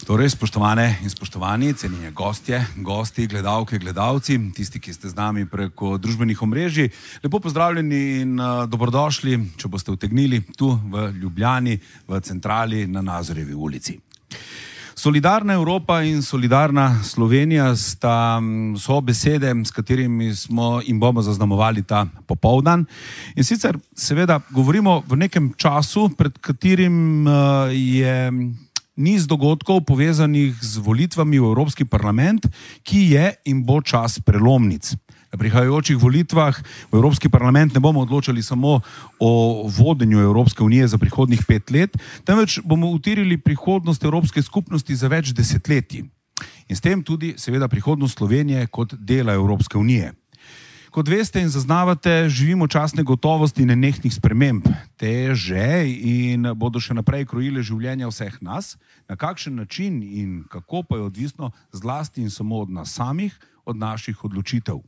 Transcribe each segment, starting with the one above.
Torej, spoštovane in spoštovani, cenjeni gostje, gosti, gledalke, gledalci, tisti, ki ste z nami preko družbenih omrežij, lepo pozdravljeni in dobrodošli, če boste utegnili, tu v Ljubljani, v centrali na Nazorjevi ulici. Solidarna Evropa in solidarna Slovenija so besede, s katerimi smo in bomo zaznamovali ta popoldan. In sicer seveda govorimo v nekem času, pred katerim je niz dogodkov povezanih z volitvami v Evropski parlament, ki je in bo čas prelomnic. Na prihajajočih volitvah v Evropski parlament ne bomo odločali samo o vodenju Evropske unije za prihodnjih 5 let, temveč bomo utirili prihodnost Evropske skupnosti za več desetletij. In s tem tudi seveda prihodnost Slovenije kot dela Evropske unije. Kot veste in zaznavate, živimo čas negotovosti in nenehnih sprememb. Te že in bodo še naprej krojile življenja vseh nas, na kakšen način in kako pa je odvisno zlasti in samo od nas samih, od naših odločitev.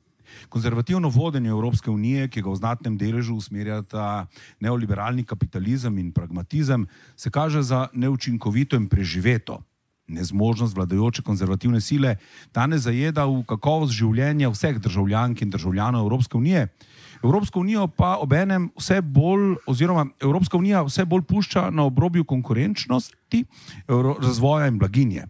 Konzervativno vodenje Evropske unije, ki ga v znatnem deležu usmerjata neoliberalni kapitalizem in pragmatizem, se kaže za neučinkovito in preživeto. Nezmožnost vladajoče konzervativne sile danes zajeda v kakovost življenja vseh državljank in državljanov Evropske unije. Evropska unija pa obenem vse bolj pušča na obrobju konkurenčnosti, razvoja in blaginje.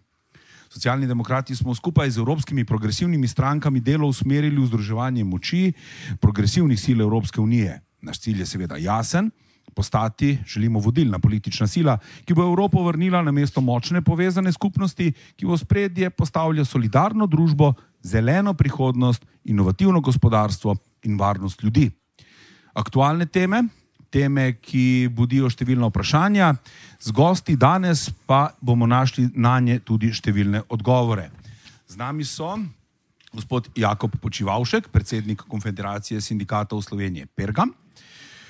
Socialni demokrati smo skupaj z evropskimi progresivnimi strankami delo usmerili v združevanje moči progresivnih sil Evropske unije. Naš cilj je seveda jasen. Postati želimo vodilna politična sila, ki bo Evropo vrnila na mesto močne povezane skupnosti, ki v ospredje postavlja solidarno družbo, zeleno prihodnost, inovativno gospodarstvo in varnost ljudi. Aktualne teme, ki budijo številna vprašanja, z gosti danes pa bomo našli na nje tudi številne odgovore. Z nami so gospod Jakob Počivavšek, predsednik Konfederacije sindikatov Slovenije Pergam,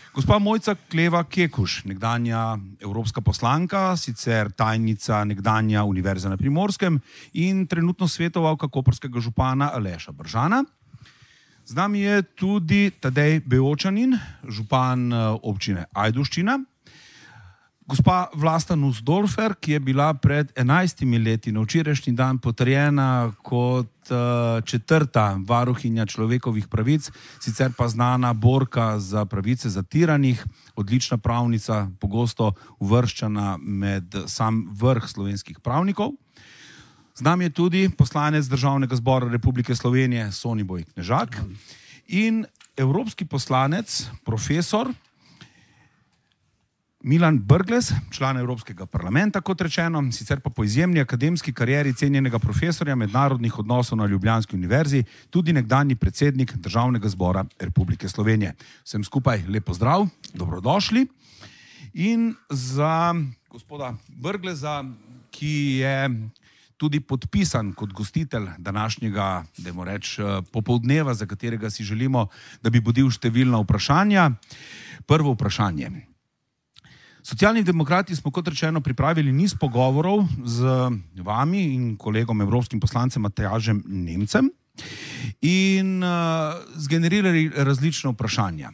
gospa Mojca Kleva Kekuš, nekdanja evropska poslanka, sicer tajnica nekdanja Univerze na Primorskem in trenutno svetovalka koprskega župana Aleša Bržana. Z nami je tudi Tadej Beočanin, župan občine Ajdovščina, gospa Vlasta Nussdorfer, ki je bila pred 11 leti na včerajšnji dan potrjena kot 4. varuhinja človekovih pravic, sicer pa znana borka za pravice zatiranih, odlična pravnica, pogosto uvrščana med sam vrh slovenskih pravnikov. Z nami je tudi poslanec Državnega zbora Republike Slovenije Soniboj Knežak in evropski poslanec, profesor Milan Brglez, član Evropskega parlamenta, kot rečeno, sicer pa po izjemni akademski karieri cenjenega profesorja mednarodnih odnosov na Ljubljanski univerzi, tudi nekdanji predsednik Državnega zbora Republike Slovenije. Vsem skupaj lep pozdrav, dobrodošli. In za gospoda Brgleza, ki je tudi podpisan kot gostitelj današnjega, dajmo reči, popoldneva, za katerega si želimo, da bi budil številna vprašanja. Prvo vprašanje. Socialni demokrati smo, kot rečeno, pripravili niz pogovorov z vami in kolegom evropskim poslancem Matjažem Nemcem in zgenerirali različne vprašanja.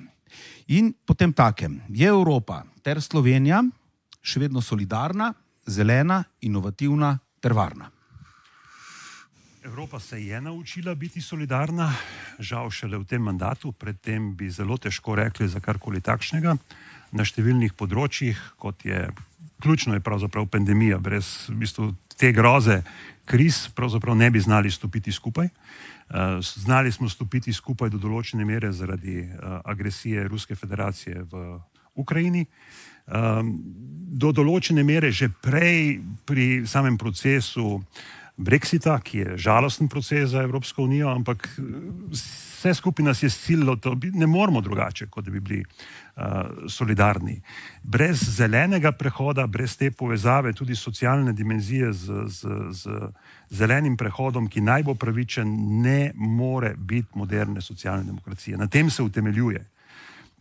In potem takem, je Evropa ter Slovenija še vedno solidarna, zelena, inovativna ter varna? Evropa se je naučila biti solidarna, žal šele v tem mandatu, predtem bi zelo težko rekli za karkoli takšnega. Na številnih področjih, kot je, ključno je pravzaprav pandemija, brez v bistvu te groze kriz pravzaprav ne bi znali stopiti skupaj. Znali smo stopiti skupaj do določene mere zaradi agresije Ruske federacije v Ukrajini. Do določene mere že prej pri samem procesu Brexita, ki je žalosten proces za Evropsko unijo, ampak vse skupaj nas je sililo, ne moramo drugače, kot da bi bili solidarni. Brez zelenega prehoda, brez te povezave, tudi socialne dimenzije z zelenim prehodom, ki naj bo pravičen, ne more biti moderne socialne demokracije. Na tem se utemeljuje.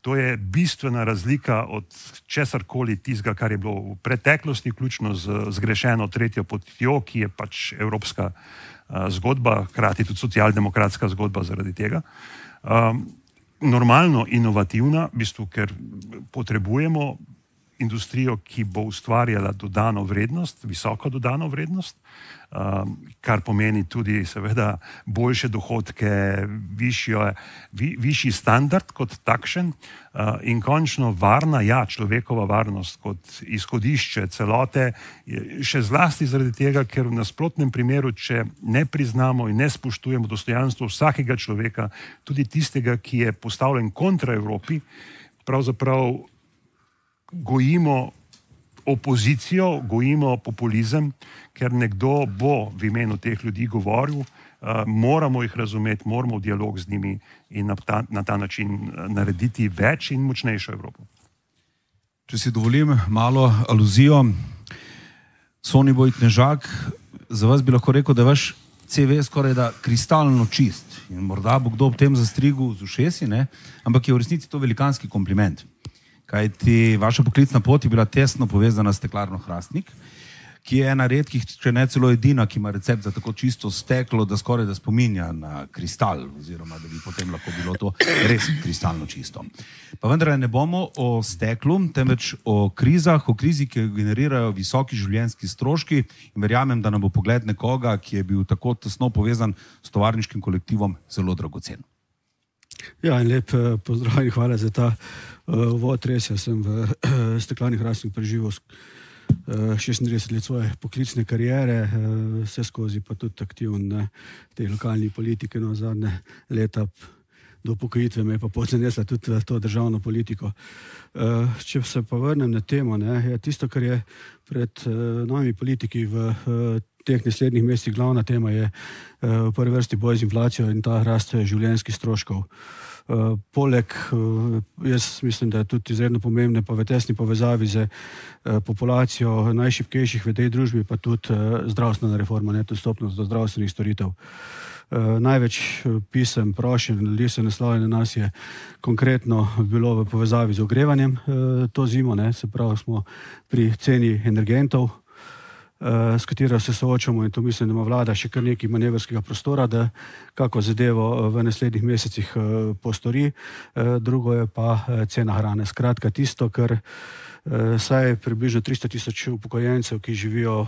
To je bistvena razlika od česarkoli tistega, kar je bilo v preteklosti, vključno z zgrešeno tretjo potjo, ki je pač evropska zgodba, hkrati tudi socialdemokratska zgodba zaradi tega. Normalno inovativna, v bistvu, ker potrebujemo industrijo, ki bo ustvarjala dodano vrednost, visoko dodano vrednost, kar pomeni tudi seveda boljše dohodke, višji standard kot takšen in končno varna, človekova varnost kot izhodišče celote, še zlasti zaradi tega, ker v nasprotnem primeru, če ne priznamo in ne spoštujemo dostojanstvo vsakega človeka, tudi tistega, ki je postavljen kontra Evropi, pravzaprav gojimo opozicijo, gojimo populizem, ker nekdo bo v imenu teh ljudi govoril, moramo jih razumeti, moramo v dialog z njimi in na ta način narediti več in močnejšo Evropo. Če si dovolim malo aluzijo, Soniboj Knežak, za vas bi lahko rekel, da je vaš CV skoraj da kristalno čist in morda bo kdo ob tem zastrigel z ušesi, ne? Ampak je v resnici to velikanski kompliment. Kajti vaša poklicna pot je bila tesno povezana s Steklarno Hrastnik, ki je ena redkih, če ne celo edina, ki ima recept za tako čisto steklo, da skoraj da spominja na kristal, oziroma da bi potem lahko bilo to res kristalno čisto. Pa vendar ne bomo o steklu, temveč o krizah, o krizi, ki generirajo visoki življenjski stroški in verjamem, da nam bo pogled nekoga, ki je bil tako tesno povezan s tovarniškim kolektivom, zelo dragocen. Ja, in lep pozdrav in hvala za ta uvod. Res, jaz sem v Steklarni Hrastnik preživel 36 let svoje poklicne kariere, vse skozi pa tudi aktiven na tej lokalni politiki, no zadnje leta do upokojitve me je pa podzanesla tudi to državno politiko. Če se pa vrnem na temo, je tisto, kar je pred novimi politiki v teh naslednjih mesecih glavna tema, je v prvi vrsti boj z inflacijo in ta rast življenjskih stroškov. Poleg, jaz mislim, da je tudi izredno pomembne pa v tesni povezavi z populacijo najšibkejših v tej družbi, pa tudi zdravstvena reforma, dostopnost do zdravstvenih storitev. Največ pisem, prošenj, ljudi se naslavlja na nas je konkretno bilo v povezavi z ogrevanjem to zimo, se pravi smo pri ceni energentov, s katero se soočamo in to mislim, da ima vlada še kar nekaj manevrskega prostora, da kako zadevo v naslednjih mesecih postori. Drugo je pa cena hrane. Skratka, tisto, kar saj približno 300,000 upokojencev, ki živijo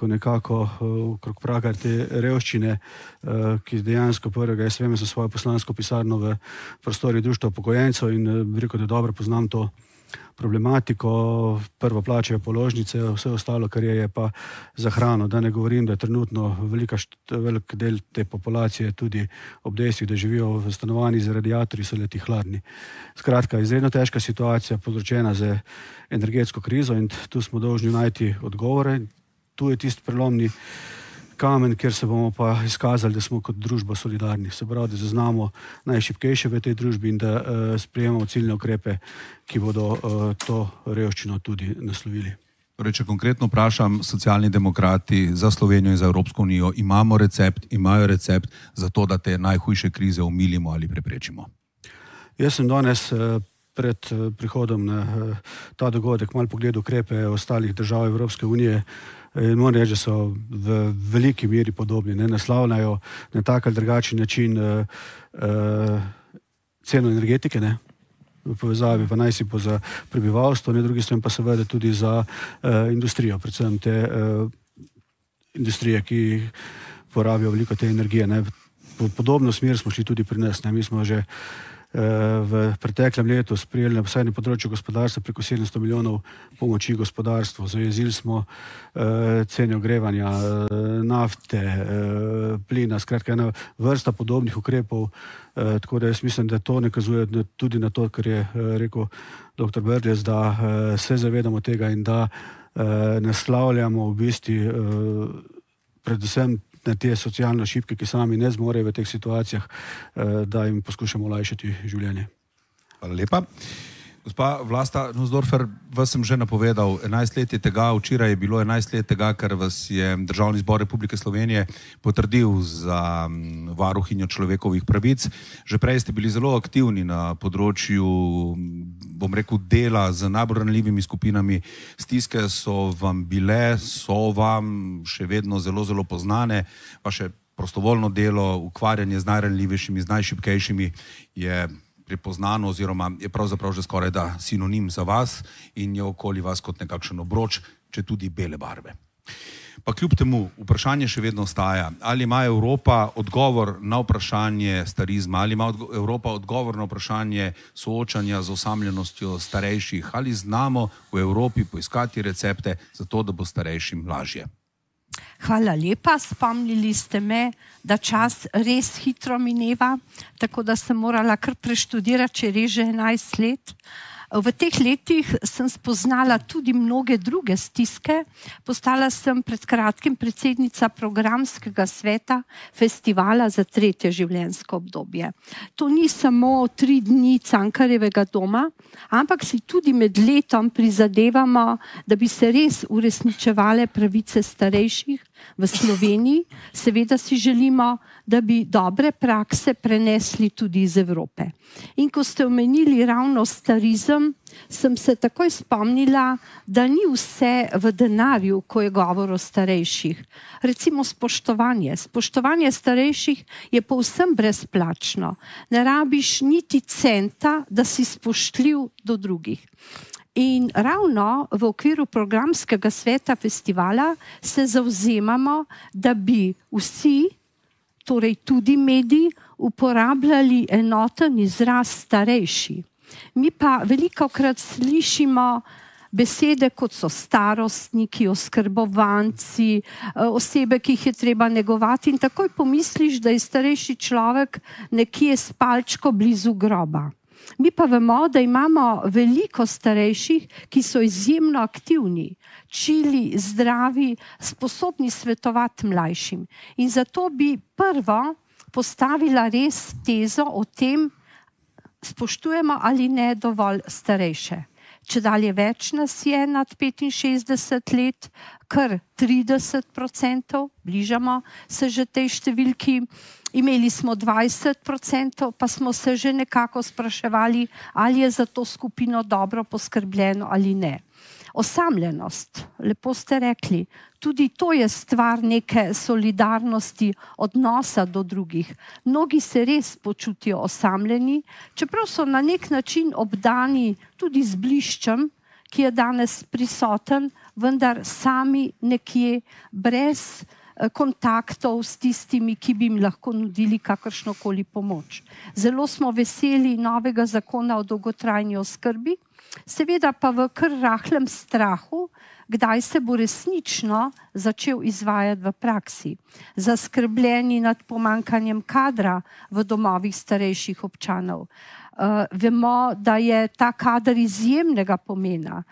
nekako okrog praga te revščine, ki dejansko prvega, jaz vem za svojo poslansko pisarno v prostori društva upokojencev in da dobro poznam to problematiko, prvo plačajo položnice, vse ostalo, kar je pa za hrano. Da ne govorim, da je trenutno velik del te populacije tudi ob dejstvih, da živijo v stanovanjih z radiatorji, so leti hladni. Skratka, izredno težka situacija povzročena z energetsko krizo in tu smo dolžni najti odgovore. Tu je tisti prelomni kamen, kjer se bomo pa izkazali, da smo kot družba solidarni. Se pravi, da zaznamo najšibkejše v tej družbi in da sprejemamo ciljne ukrepe, ki bodo to revščino tudi naslovili. Torej, če konkretno vprašam, Socialni demokrati za Slovenijo in za Evropsko unijo imajo recept za to, da te najhujše krize omilimo ali preprečimo? Jaz sem danes pred prihodom na ta dogodek malo pogledal ukrepe ostalih držav Evropske unije. Moram reči, da so v veliki meri podobni, naslavljajo na tak ali drugačen način ceno energetike, v povezavi pa naj si po za prebivalstvo, na drugi strani pa seveda tudi za industrijo, predvsem te industrije, ki porabijo veliko te energije. V podobno smer smo šli tudi pri nas. Mi smo že v preteklem letu sprejeli na vsaj na področju gospodarstva preko 700 milijonov pomoči gospodarstvu. Zajezili smo cene ogrevanja, nafte, plina, skratka ena vrsta podobnih ukrepov, tako da jaz mislim, da to nakazuje tudi na to, kar je rekel dr. Brglez, da se zavedamo tega in da naslavljamo v bistvu predvsem na te socialno šibke, ki sami ne zmorejo v teh situacijah, da jim poskušamo olajšati življenje. Hvala lepa. Gospa Vlasta Nussdorfer, vas sem že napovedal, 11 let je tega, včeraj je bilo 11 let tega, ker vas je Državni zbor Republike Slovenije potrdil za varuhinjo človekovih pravic. Že prej ste bili zelo aktivni na področju, bom rekel, dela z najbolj ranljivimi skupinami. Stiske so vam še vedno zelo, zelo poznane. Vaše prostovoljno delo, ukvarjanje z najranljivejšimi, z najšibkejšimi je prepoznano oziroma je pravzaprav že skoraj da sinonim za vas in je okoli vas kot nekakšen obroč, če tudi bele barve. Pa kljub temu vprašanje še vedno ostaja, ali ima Evropa odgovor na vprašanje starizma, ali ima Evropa odgovor na vprašanje soočanja z osamljenostjo starejših, ali znamo v Evropi poiskati recepte za to, da bo starejšim lažje. Hvala lepa, spomnili ste me, da čas res hitro mineva, tako da sem morala kar preštudirati, če res že 11 let. V teh letih sem spoznala tudi mnoge druge stiske. Postala sem pred kratkim predsednica programskega sveta festivala za 3. življenjsko obdobje. To ni samo 3 dni Cankarjevega doma, ampak si tudi med letom prizadevamo, da bi se res uresničevale pravice starejših v Sloveniji. Seveda si želimo, da bi dobre prakse prenesli tudi iz Evrope. In ko ste omenili ravno starizem, sem se takoj spomnila, da ni vse v denarju, ko je govor o starejših. Recimo spoštovanje. Spoštovanje starejših je povsem brezplačno. Ne rabiš niti centa, da si spoštljiv do drugih. In ravno v okviru programskega sveta festivala se zavzemamo, da bi vsi, torej tudi mediji, uporabljali enoten izraz starejši. Mi pa velikokrat slišimo besede, kot so starostniki, oskrbovanci, osebe, ki jih je treba negovati, in takoj pomisliš, da je starejši človek nekje s palčko blizu groba. Mi pa vemo, da imamo veliko starejših, ki so izjemno aktivni, čili, zdravi, sposobni svetovati mlajšim. In zato bi prvo postavila res tezo o tem, spoštujemo ali ne dovolj starejše. Čedalje več nas je nad 65 let, kar 30%, bližamo se že tej številki. Imeli smo 20%, pa smo se že nekako spraševali, ali je za to skupino dobro poskrbljeno ali ne. Osamljenost, lepo ste rekli, tudi to je stvar neke solidarnosti, odnosa do drugih. Mnogi se res počutijo osamljeni, čeprav so na nek način obdani tudi z bliščem, ki je danes prisoten, vendar sami nekje brez kontaktov s tistimi, ki bi jim lahko nudili kakršnokoli pomoč. Zelo smo veseli novega zakona o dolgotrajni oskrbi, seveda pa v kar rahlem strahu, kdaj se bo resnično začel izvajati v praksi. Zaskrbljeni nad pomanjkanjem kadra v domovih starejših občanov. Vemo, da je ta kader izjemnega pomena,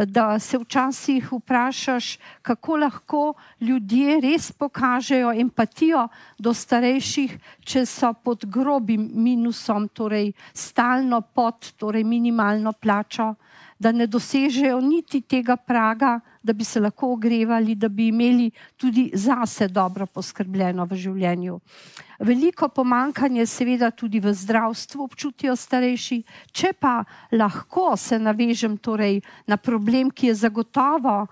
da se včasih vprašaš, kako lahko ljudje res pokažejo empatijo do starejših, če so pod grobim minusom, torej stalno pod minimalno plačo, da ne dosežejo niti tega praga, da bi se lahko ogrevali, da bi imeli tudi zase dobro poskrbljeno v življenju. Veliko pomanjkanje seveda tudi v zdravstvu občutijo starejši. Če pa lahko se navežem torej na problem, ki je zagotovo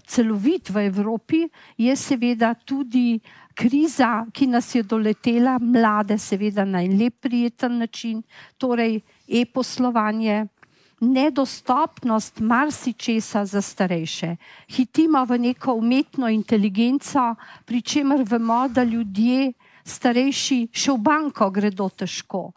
celovit v Evropi, je seveda tudi kriza, ki nas je doletela, mlade seveda na en lep prijeten način, torej e-poslovanje, nedostopnost marsičesa za starejše. Hitimo v neko umetno inteligenco, pri čemer vemo, da ljudje starejši še v banko gredo težko.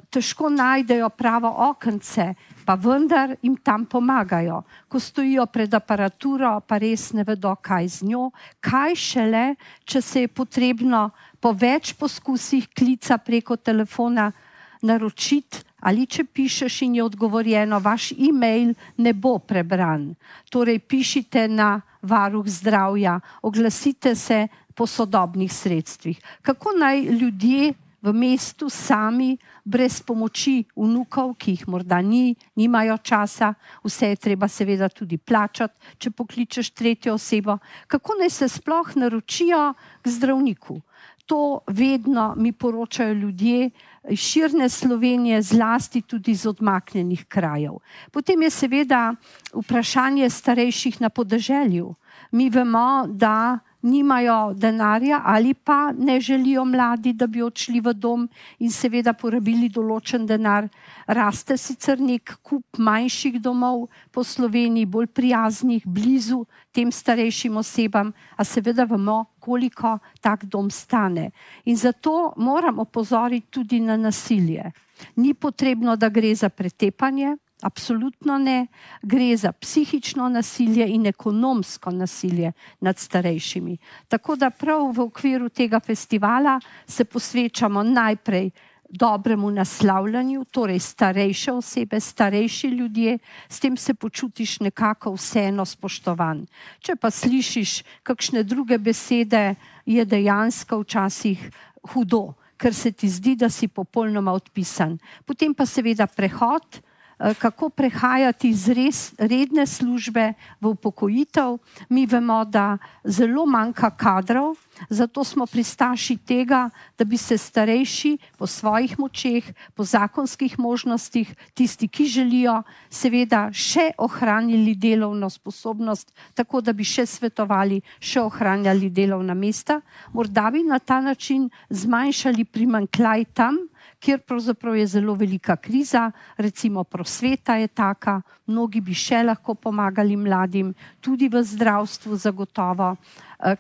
Težko najdejo pravo okence, pa vendar jim tam pomagajo. Ko stojijo pred aparaturo, pa res ne vedo, kaj z njo, kaj šele, če se je potrebno po več poskusih klica preko telefona naročiti, ali če pišeš in je odgovorjeno, vaš e-mail ne bo prebran. Torej pišite na varuh zdravja, oglasite se po sodobnih sredstvih. Kako naj ljudje v mestu sami, brez pomoči vnukov, ki jih morda nimajo časa, vse je treba seveda tudi plačati, če pokličeš tretjo osebo, kako naj se sploh naročijo k zdravniku? To vedno mi poročajo ljudje iz širne Slovenije, zlasti tudi iz odmaknjenih krajev. Potem je seveda vprašanje starejših na podeželju. Mi vemo, da nimajo denarja ali pa ne želijo mladi, da bi odšli v dom in seveda porabili določen denar. Raste sicer nek kup manjših domov po Sloveniji, bolj prijaznih, blizu tem starejšim osebam, a seveda vemo, koliko tak dom stane. In zato moram opozoriti tudi na nasilje. Ni potrebno, da gre za pretepanje, absolutno ne, gre za psihično nasilje in ekonomsko nasilje nad starejšimi. Tako da prav v okviru tega festivala se posvečamo najprej dobremu naslavljanju, torej starejše osebe, starejši ljudje, s tem se počutiš nekako vseeno spoštovan. Če pa slišiš kakšne druge besede, je dejansko včasih hudo, ker se ti zdi, da si popolnoma odpisan. Potem pa seveda prehod, kako prehajati iz redne službe v upokojitev. Mi vemo, da zelo manjka kadrov, zato smo pristaši tega, da bi se starejši po svojih močeh, po zakonskih možnostih, tisti, ki želijo, seveda še ohranili delovno sposobnost, tako da bi še svetovali, še ohranjali delovna mesta. Morda bi na ta način zmanjšali primanjkljaj tam, kjer pravzaprav je zelo velika kriza, recimo prosveta je taka, mnogi bi še lahko pomagali mladim, tudi v zdravstvu zagotovo,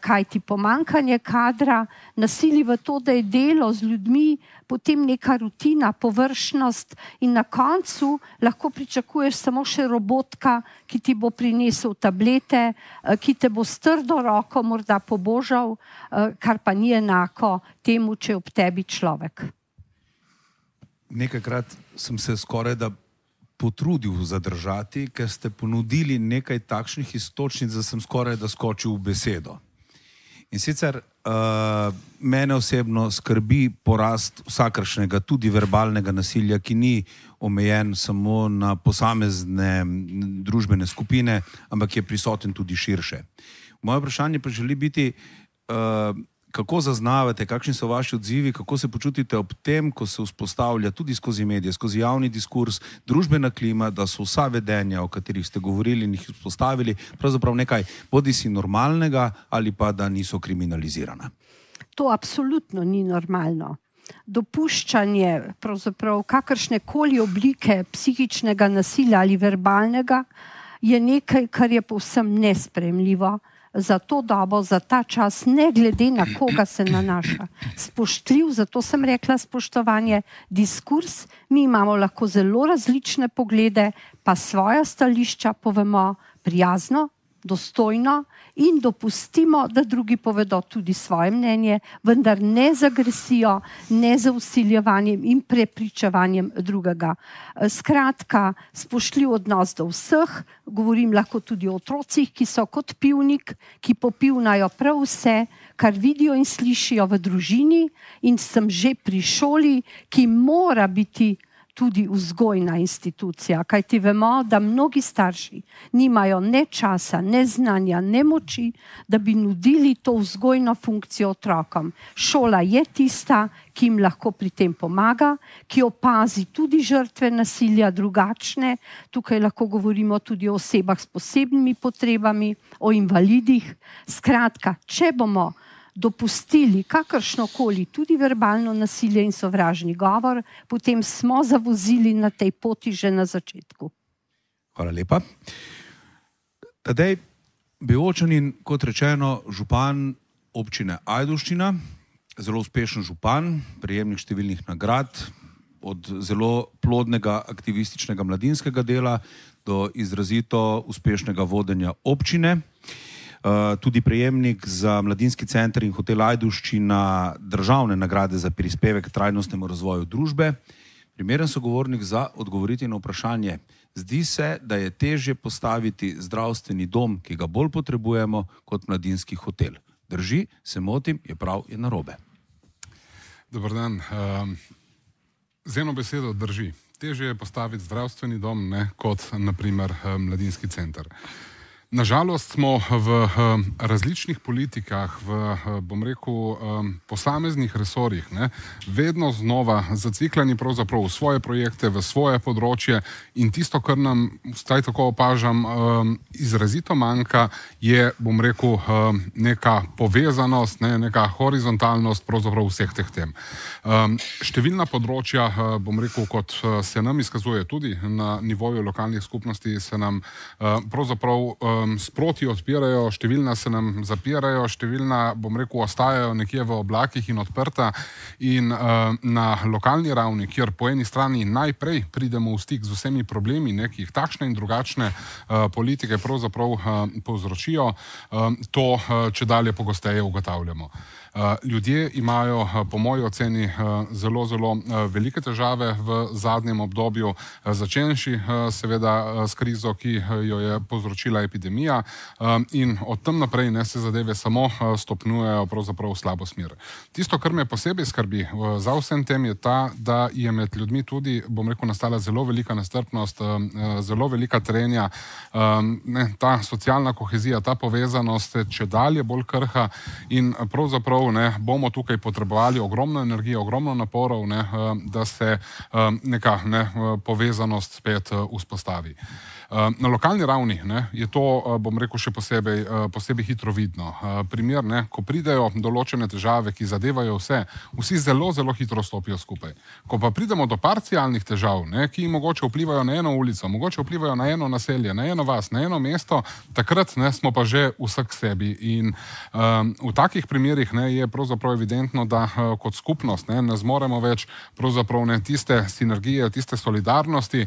kajti pomanjkanje kadra nasili v to, da je delo z ljudmi potem neka rutina, površnost in na koncu lahko pričakuješ samo še robotka, ki ti bo prinesel tablete, ki te bo s trdo roko morda pobožal, kar pa ni enako temu, če je ob tebi človek. Nekajkrat sem se skoraj da potrudil zadržati, ker ste ponudili nekaj takšnih iztočnic, da sem skoraj da skočil v besedo. In sicer mene osebno skrbi porast vsakršnega, tudi verbalnega nasilja, ki ni omejen samo na posamezne družbene skupine, ampak je prisoten tudi širše. Moje vprašanje pa želi biti, kako zaznavate, kakšni so vaši odzivi, kako se počutite ob tem, ko se vzpostavlja tudi skozi medije, skozi javni diskurs, družbena klima, da so vsa vedenja, o katerih ste govorili in jih vzpostavili, pravzaprav nekaj bodisi normalnega ali pa da niso kriminalizirana? To absolutno ni normalno. Dopuščanje pravzaprav kakršnekoli oblike psihičnega nasilja ali verbalnega je nekaj, kar je povsem nesprejemljivo za to dobo, za ta čas, ne glede na koga se nanaša. Spoštljiv, zato sem rekla spoštovanje, diskurs, mi imamo lahko zelo različne poglede, pa svoja stališča povemo prijazno, dostojno in dopustimo, da drugi povedo tudi svoje mnenje, vendar ne z agresijo, ne z vsiljevanjem in prepričevanjem drugega. Skratka, spoštljiv odnos do vseh, govorim lahko tudi o otrocih, ki so kot pivnik, ki popivnajo prav vse, kar vidijo in slišijo v družini, in sem že pri šoli, ki mora biti tudi vzgojna institucija, kajti vemo, da mnogi starši nimajo ne časa, ne znanja, ne moči, da bi nudili to vzgojno funkcijo otrokom. Šola je tista, ki jim lahko pri tem pomaga, ki opazi tudi žrtve nasilja drugačne. Tukaj lahko govorimo tudi o osebah s posebnimi potrebami, o invalidih. Skratka, če bomo dopustili kakršnokoli, tudi verbalno nasilje in sovražni govor, potem smo zavozili na tej poti že na začetku. Hvala lepa. Tadej Beočanin, kot rečeno, župan občine Ajdovščina, zelo uspešen župan, prejemnik številnih nagrad, od zelo plodnega aktivističnega mladinskega dela do izrazito uspešnega vodenja občine. Tudi prejemnik za Mladinski center in hotel Ajdovščina državne nagrade za prispevek k trajnostnemu razvoju družbe. Primeren sogovornik za odgovoriti na vprašanje. Zdi se, da je težje postaviti zdravstveni dom, ki ga bolj potrebujemo, kot mladinski hotel. Drži, se motim, je prav, je narobe. Dobar dan. Z eno besedo drži. Težje je postaviti zdravstveni dom, kot naprimer mladinski center. Nažalost smo v različnih politikah, bom rekel, posameznih resorjih, vedno znova zaciklani pravzaprav v svoje projekte, v svoje področje in tisto, kar nam, vsaj tako opažam, izrazito manjka, je, bom rekel, neka povezanost, neka horizontalnost pravzaprav vseh teh tem. Številna področja, bom rekel, kot se nam izkazuje tudi na nivoju lokalnih skupnosti, se nam pravzaprav sproti odpirajo, številna se nam zapirajo, številna, bom rekel, ostajajo nekje v oblakih in odprta in na lokalni ravni, kjer po eni strani najprej pridemo v stik z vsemi problemi, ki jih takšne in drugačne politike pravzaprav povzročijo, to čedalje pogosteje ugotavljamo. Ljudje imajo, po moji oceni, zelo, zelo velike težave v zadnjem obdobju, začenši seveda s krizo, ki jo je povzročila epidemija in od tam naprej se zadeve samo stopnjujejo pravzaprav v slabo smer. Tisto, kar me posebej skrbi za vsem tem, je ta, da je med ljudmi tudi, bom rekel, nastala zelo velika nestrpnost, zelo velika trenja, ta socialna kohezija, ta povezanost čedalje bolj krha in pravzaprav bomo tukaj potrebovali ogromno energije, ogromno naporov, da se neka povezanost spet vzpostavi. Na lokalni ravni je to, bom rekel, še posebej hitro vidno. Primer, ko pridejo določene težave, ki zadevajo vsi zelo, zelo hitro stopijo skupaj. Ko pa pridemo do parcialnih težav, ki mogoče vplivajo na eno ulico, mogoče vplivajo na eno naselje, na eno vas, na eno mesto, takrat smo pa že vsak sebi. In v takih primerih je pravzaprav evidentno, da kot skupnost ne zmoremo več pravzaprav tiste sinergije, tiste solidarnosti,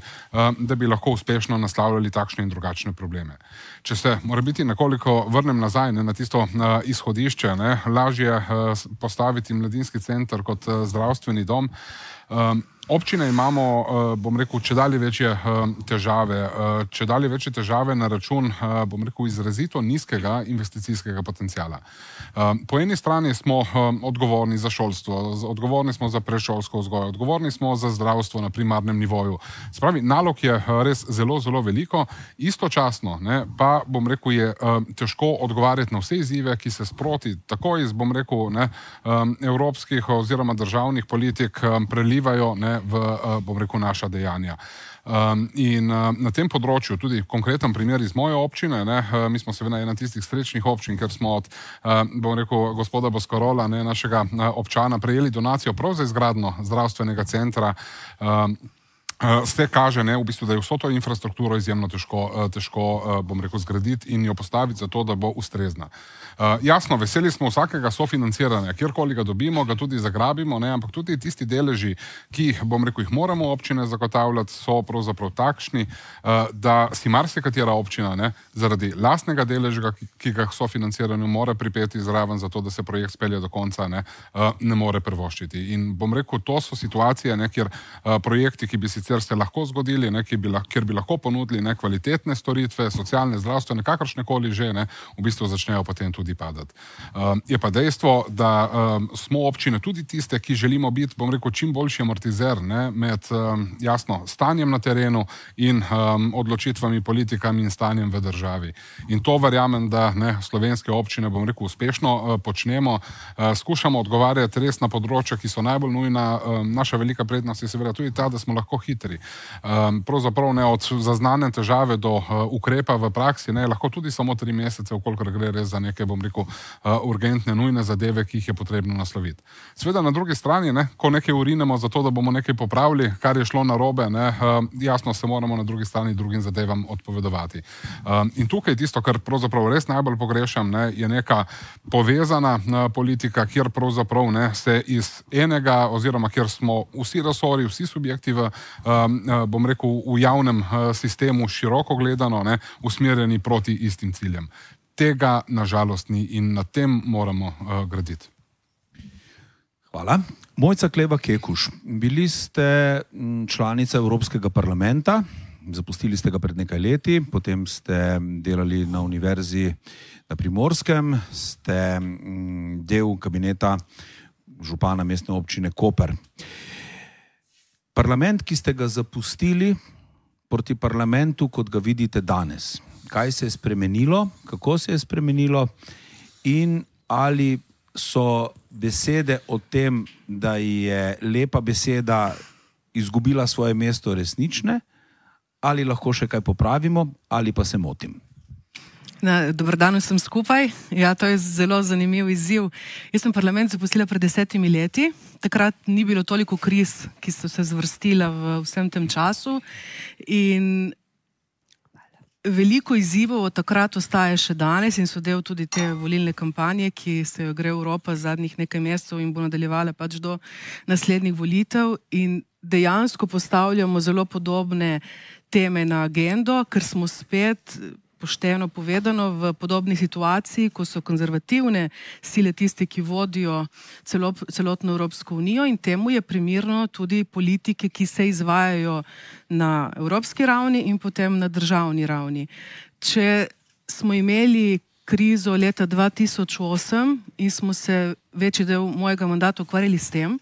da bi lahko uspešno naslavljali takšne in drugačne probleme. Če se mora biti nekoliko vrnem nazaj na tisto izhodišče, lažje postaviti mladinski center kot zdravstveni dom. Občine imamo, bom rekel, čedalje večje težave na račun, bom rekel, izrazito nizkega investicijskega potencijala. Po eni strani smo odgovorni za šolstvo, odgovorni smo za predšolsko vzgojo, odgovorni smo za zdravstvo na primarnem nivoju. Spravi, nalog je res zelo, zelo veliko, istočasno pa, bom rekel, je težko odgovarjati na vse izzive, ki se sproti tako iz, bom rekel, evropskih oziroma državnih politik prelivajo v, bom rekel, naša dejanja. In na tem področju, tudi konkreten primer iz moje občine, mi smo seveda ena tistih srečnih občin, ker smo od, bom rekel, gospoda Boskarola, našega občana, prejeli donacijo prav za izgradnjo zdravstvenega centra. Vse kaže, v bistvu, da je vso to infrastrukturo izjemno težko, bom rekel, zgraditi in jo postaviti za to, da bo ustrezna. Jasno, veseli smo vsakega sofinanciranja, kjerkoli ga dobimo, ga tudi zagrabimo, ampak tudi tisti deleži, ki, bom rekel, jih moramo občine zagotavljati, so pravzaprav takšni, da si marsikatera občina zaradi lastnega deleža, ki ga sofinanciranju mora pripeti zraven za to, da se projekt spelje do konca, ne more privoščiti. In bom rekel, to so situacije, kjer projekti, ki bi sicer se lahko zgodili, kjer bi lahko ponudili kvalitetne storitve, socialne, zdravstvene, kakršnekoli že, v bistvu začnejo potem tudi padati. Je pa dejstvo, da smo občine tudi tiste, ki želimo biti, bom rekel, čim boljši amortizer med, jasno, stanjem na terenu in odločitvami, politikami in stanjem v državi. In to verjamem, da slovenske občine, bom rekel, uspešno počnemo. Skušamo odgovarjati res na področja, ki so najbolj nujna. Naša velika prednost je seveda tudi ta, da smo lahko hitri. Pravzaprav od zaznane težave do ukrepa v praksi, lahko tudi samo 3 mesece, vkolikor gre res za neke, bom rekel, urgentne, nujne zadeve, ki jih je potrebno nasloviti. Sveda na drugi strani, ko nekaj urinemo za to, da bomo nekaj popravili, kar je šlo narobe, jasno se moramo na drugi strani drugim zadevam odpovedovati. In tukaj tisto, kar pravzaprav res najbolj pogrešam, je neka povezana politika, kjer pravzaprav se iz enega, oziroma kjer smo vsi resorji, vsi subjekti v, bom rekel, v javnem sistemu široko gledano, usmerjeni proti istim ciljem. Tega nažalost ni in na tem moramo graditi. Hvala. Mojca Kleva Kekuš, bili ste članica Evropskega parlamenta, zapustili ste ga pred nekaj leti, potem ste delali na univerzi na Primorskem, ste del kabineta župana mestne občine Koper. Parlament, ki ste ga zapustili, proti parlamentu, kot ga vidite danes? Kaj se je spremenilo, kako se je spremenilo in ali so besede o tem, da je lepa beseda izgubila svoje mesto resnične, ali lahko še kaj popravimo, ali pa se motim? Dober dan vsem skupaj. Ja, to je zelo zanimiv izziv. Jaz sem parlament zaposlila pred 10 leti. Takrat ni bilo toliko kriz, ki so se zvrstila v vsem tem času. In veliko izzivov od takrat ostaje še danes in so del tudi te volilne kampanje, ki se jo gre Evropa zadnjih nekaj mesecev in bo nadaljevala pač do naslednjih volitev. In dejansko postavljamo zelo podobne teme na agendo, ker smo spet, pošteno povedano, v podobni situaciji, ko so konzervativne sile tiste, ki vodijo celotno Evropsko unijo, in temu je primerno tudi politike, ki se izvajajo na evropski ravni in potem na državni ravni. Če smo imeli krizo leta 2008 in smo se večji del mojega mandata ukvarjali s tem,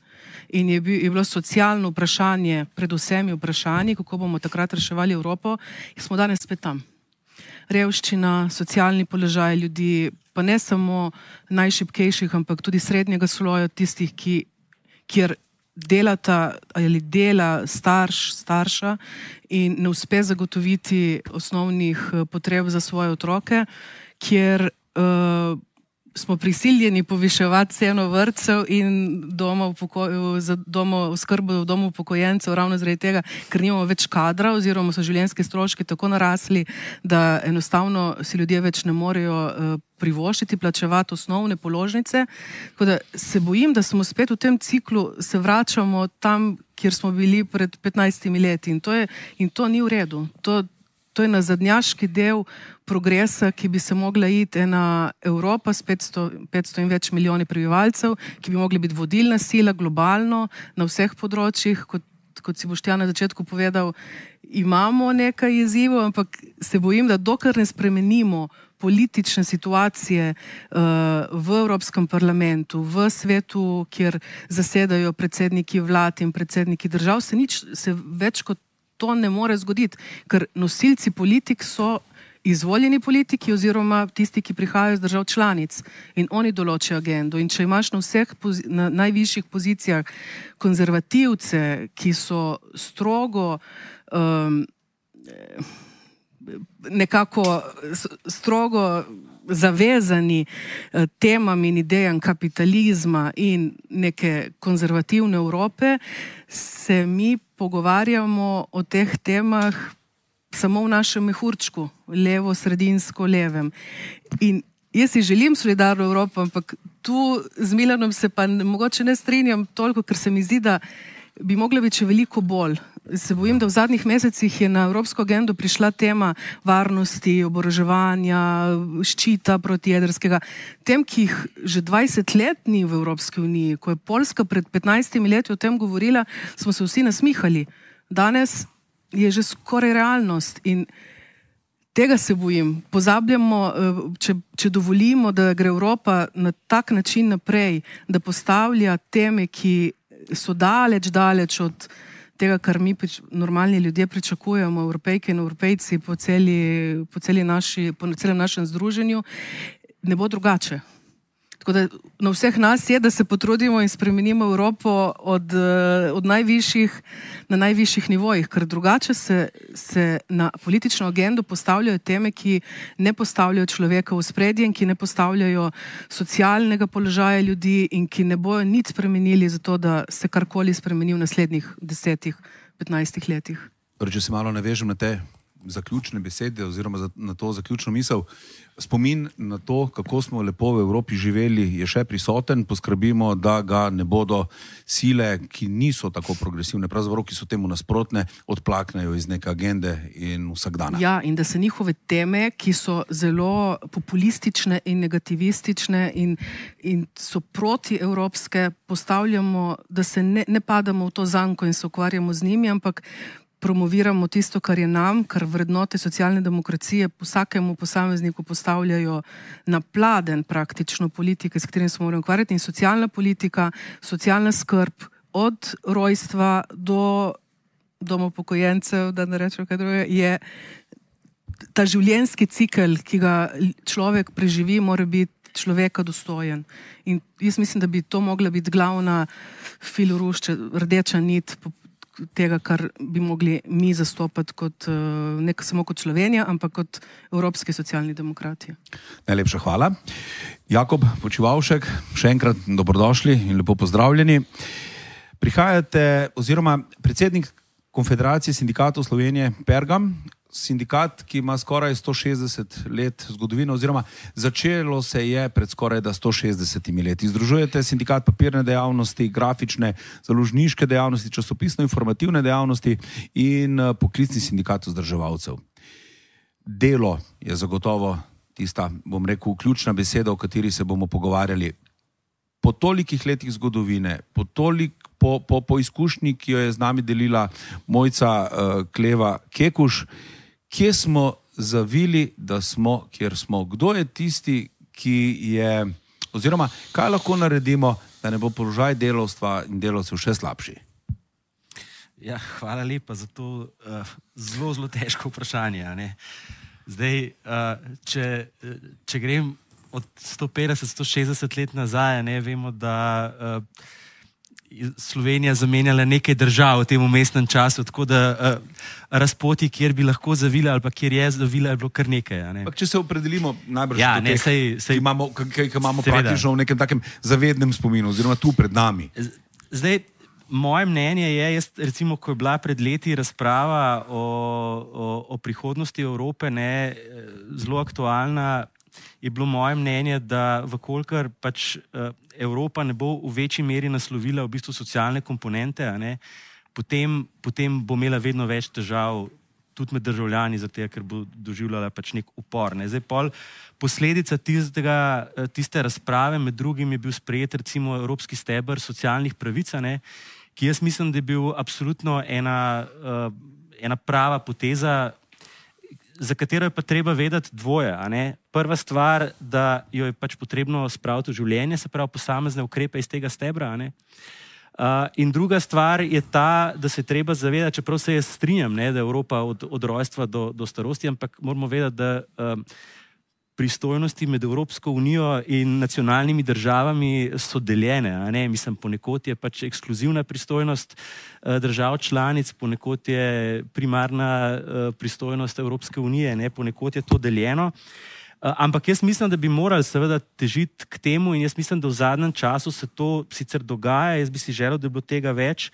in je bilo socialno vprašanje pred vsemi vprašanji, kako bomo takrat reševali Evropo, in smo danes spet tam. Revščina, socialni položaj ljudi, pa ne samo najšibkejših, ampak tudi srednjega sloja, tistih, kjer delata ali dela starša in ne uspe zagotoviti osnovnih potreb za svoje otroke, kjer smo prisiljeni poviševati ceno vrtcev in oskrbo v domu upokojencev ravno zaradi tega, ker nimamo več kadra oziroma so življenjski stroški tako narasli, da enostavno si ljudje več ne morejo privoščiti, plačevati osnovne položnice. Tako da se bojim, da smo spet v tem ciklu, se vračamo tam, kjer smo bili pred 15 leti in to ni v redu. To je nazadnjaški del progresa, ki bi se mogla iti ena Evropa s 500 in več milijoni prebivalcev, ki bi mogli biti vodilna sila globalno na vseh področjih, kot si Boštjan na začetku povedal, imamo nekaj izzivov, ampak se bojim, da dokler ne spremenimo politične situacije v Evropskem parlamentu, v svetu, kjer zasedajo predsedniki vlad in predsedniki držav, se več kot to ne more zgoditi, ker nosilci politik so izvoljeni politiki oziroma tisti, ki prihajajo iz držav članic in oni določijo agendo. In če imaš na najvišjih pozicijah konzervativce, ki so strogo zavezani temam in idejam kapitalizma in neke konzervativne Evrope, se mi pogovarjamo o teh temah samo v našem mehurčku, levo, sredinsko, levem. In jaz si želim solidarno Evropo, ampak tu z Milanom se pa mogoče ne strinjam toliko, ker se mi zdi, da bi mogla biti še veliko bolj. Se bojim, da v zadnjih mesecih je na evropsko agendo prišla tema varnosti, oboroževanja, ščita protijedrskega. Tem, ki jih že 20 let ni v Evropski uniji. Ko je Poljska pred 15 leti o tem govorila, smo se vsi nasmihali. Danes je že skoraj realnost in tega se bojim. Pozabljamo, če dovolimo, da gre Evropa na tak način naprej, da postavlja teme, ki so daleč od tega, kar mi normalni ljudje pričakujemo, Evropejke in Evropejci po celem našem združenju, ne bo drugače. Tako da na vseh nas je, da se potrudimo in spremenimo Evropo na najvišjih nivojih, ker drugače se na politično agendo postavljajo teme, ki ne postavljajo človeka v ospredje in ki ne postavljajo socialnega položaja ljudi in ki ne bojo nič spremenili za to, da se karkoli spremeni v naslednjih 10-15 letih. Če se malo navežem na te zaključne besede oziroma na to zaključno misel, spomin na to, kako smo lepo v Evropi živeli, je še prisoten. Poskrbimo, da ga ne bodo sile, ki niso tako progresivne, pravzaprav, ki so temu nasprotne, odplaknejo iz neke agende in vsakdana. Ja, in da se njihove teme, ki so zelo populistične in negativistične in so protievropske, postavljamo, da se ne padamo v to zanko in se ukvarjamo z njimi, ampak promoviramo tisto, kar je nam, kar vrednote socialne demokracije vsakemu posamezniku postavljajo na pladen praktično politike, s katerim se moramo ukvarjati, in socialna politika, socialna skrb od rojstva do dom upokojencev, da ne rečem kaj drugega, je ta življenjski cikel, ki ga človek preživi, mora biti človeka dostojen. In jaz mislim, da bi to mogla biti glavna filorušča, rdeča nit tega, kar bi mogli mi zastopati kot, ne samo kot Slovenija, ampak kot evropski socialni demokrati. Najlepša hvala. Jakob Počivavšek, še enkrat dobrodošli in lepo pozdravljeni. Prihajate, oziroma predsednik Konfederacije sindikatov Slovenije Pergam, sindikat, ki ima skoraj 160 let zgodovino, oziroma začelo se je pred skoraj 160 leti. Združujete sindikat papirne dejavnosti, grafične, založniške dejavnosti, časopisno-informativne dejavnosti in poklicni sindikat vzdrževalcev. Delo je zagotovo tista, bom rekel, ključna beseda, o kateri se bomo pogovarjali. Po tolikih letih zgodovine, po izkušnji, ki jo je z nami delila Mojca Kleva Kekuš, kje smo zavili, da smo, kjer smo? Kdo je tisti, ki je, oziroma kaj lahko naredimo, da ne bo položaj delavstva in delavcev še slabši? Ja, hvala lepa za to zelo, zelo težko vprašanje. Ne? Zdaj, če grem od 150-160 let nazaj, ne, vemo, da Slovenija zamenjala nekaj držav v tem umestnem času, tako da razpoti, kjer bi lahko zavila ali pa kjer je zavila, je bilo kar nekaj. Ne. Če se opredelimo najbrž ja, do teh, ki imamo praktično v nekem takem zavednem spominu, oziroma tu pred nami. Zdaj, moje mnenje je, jaz recimo, ko je bila pred leti razprava o prihodnosti Evrope, ne, zelo aktualna, je bilo moje mnenje, da vkolikor pač Evropa ne bo v večji meri naslovila v bistvu socialne komponente, ne, potem bo imela vedno več težav tudi med državljani, zato ker bo doživljala pač nek upor. Ne. Zdaj, posledica tiste razprave med drugim je bil sprejet recimo Evropski steber socialnih pravic, ne, ki jaz mislim, da je bil absolutno ena prava poteza, za katero je pa treba vedeti dvoje. A ne? Prva stvar, da jo je pač potrebno spraviti v življenje, se pravi posamezne ukrepe iz tega stebra. A ne? In druga stvar je ta, da se treba zavedati, čeprav se jaz strinjam, ne, da je Evropa od rojstva do starosti, ampak moramo vedeti, da pristojnosti med Evropsko unijo in nacionalnimi državami so deljene. A ne? Mislim, ponekod je pač ekskluzivna pristojnost držav članic, ponekod je primarna pristojnost Evropske unije, ne? Ponekod je to deljeno. Ampak jaz mislim, da bi morali seveda težiti k temu in jaz mislim, da v zadnjem času se to sicer dogaja, jaz bi si želel, da bi bilo tega več,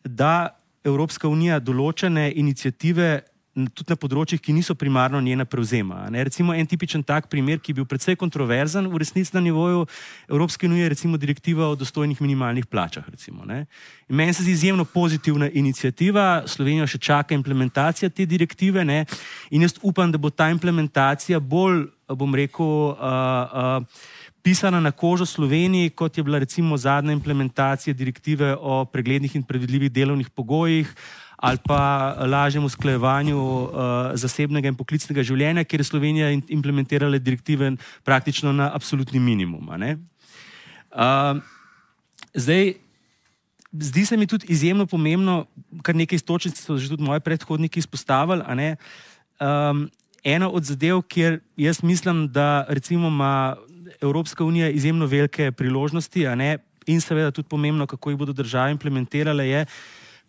da Evropska unija določene iniciative tudi na področjih, ki niso primarno njena prevzema. Ne? Recimo en tipičen tak primer, ki je bil precej kontroverzen v resnici na nivoju Evropske unije, recimo direktiva o dostojnih minimalnih plačah. Recimo, ne? In meni se zdi izjemno pozitivna iniciativa, Slovenijo še čaka implementacija te direktive, ne? In jaz upam, da bo ta implementacija bolj, bom rekel, pisana na kožo Sloveniji, kot je bila recimo zadnja implementacija direktive o preglednih in predvidljivih delovnih pogojih, ali pa lažjem usklajevanju zasebnega in poklicnega življenja, kjer je Slovenija implementirala direktive praktično na absolutni minimum. Ne? Zdaj, zdi se mi tudi izjemno pomembno, kar nekaj istočnic so že tudi moji predhodniki izpostavili, a ne? Ena od zadev, kjer jaz mislim, da recimo ima Evropska unija izjemno velike priložnosti, a ne? In seveda tudi pomembno, kako jih bodo države implementirale, je,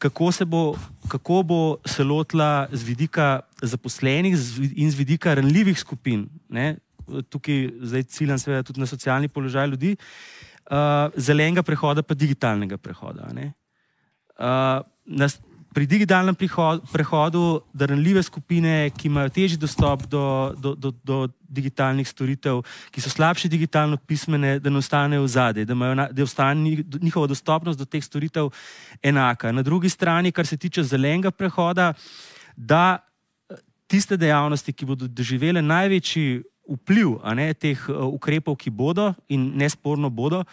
kako bo se lotila z vidika zaposlenih in z vidika ranljivih skupin, ne? Tukaj zdaj ciljam seveda tudi na socialni položaj ljudi, zelenega prehoda pa digitalnega prehoda. Ne? Pri digitalnem prehodu, da ranljive skupine, ki imajo težji dostop do digitalnih storitev, ki so slabše digitalno pismene, da ne ostanejo vzadej, da ostane njihova dostopnost do teh storitev enaka. Na drugi strani, kar se tiče zelenega prehoda, da tiste dejavnosti, ki bodo doživele največji vpliv, a ne, teh ukrepov, ki bodo in nesporno bodo,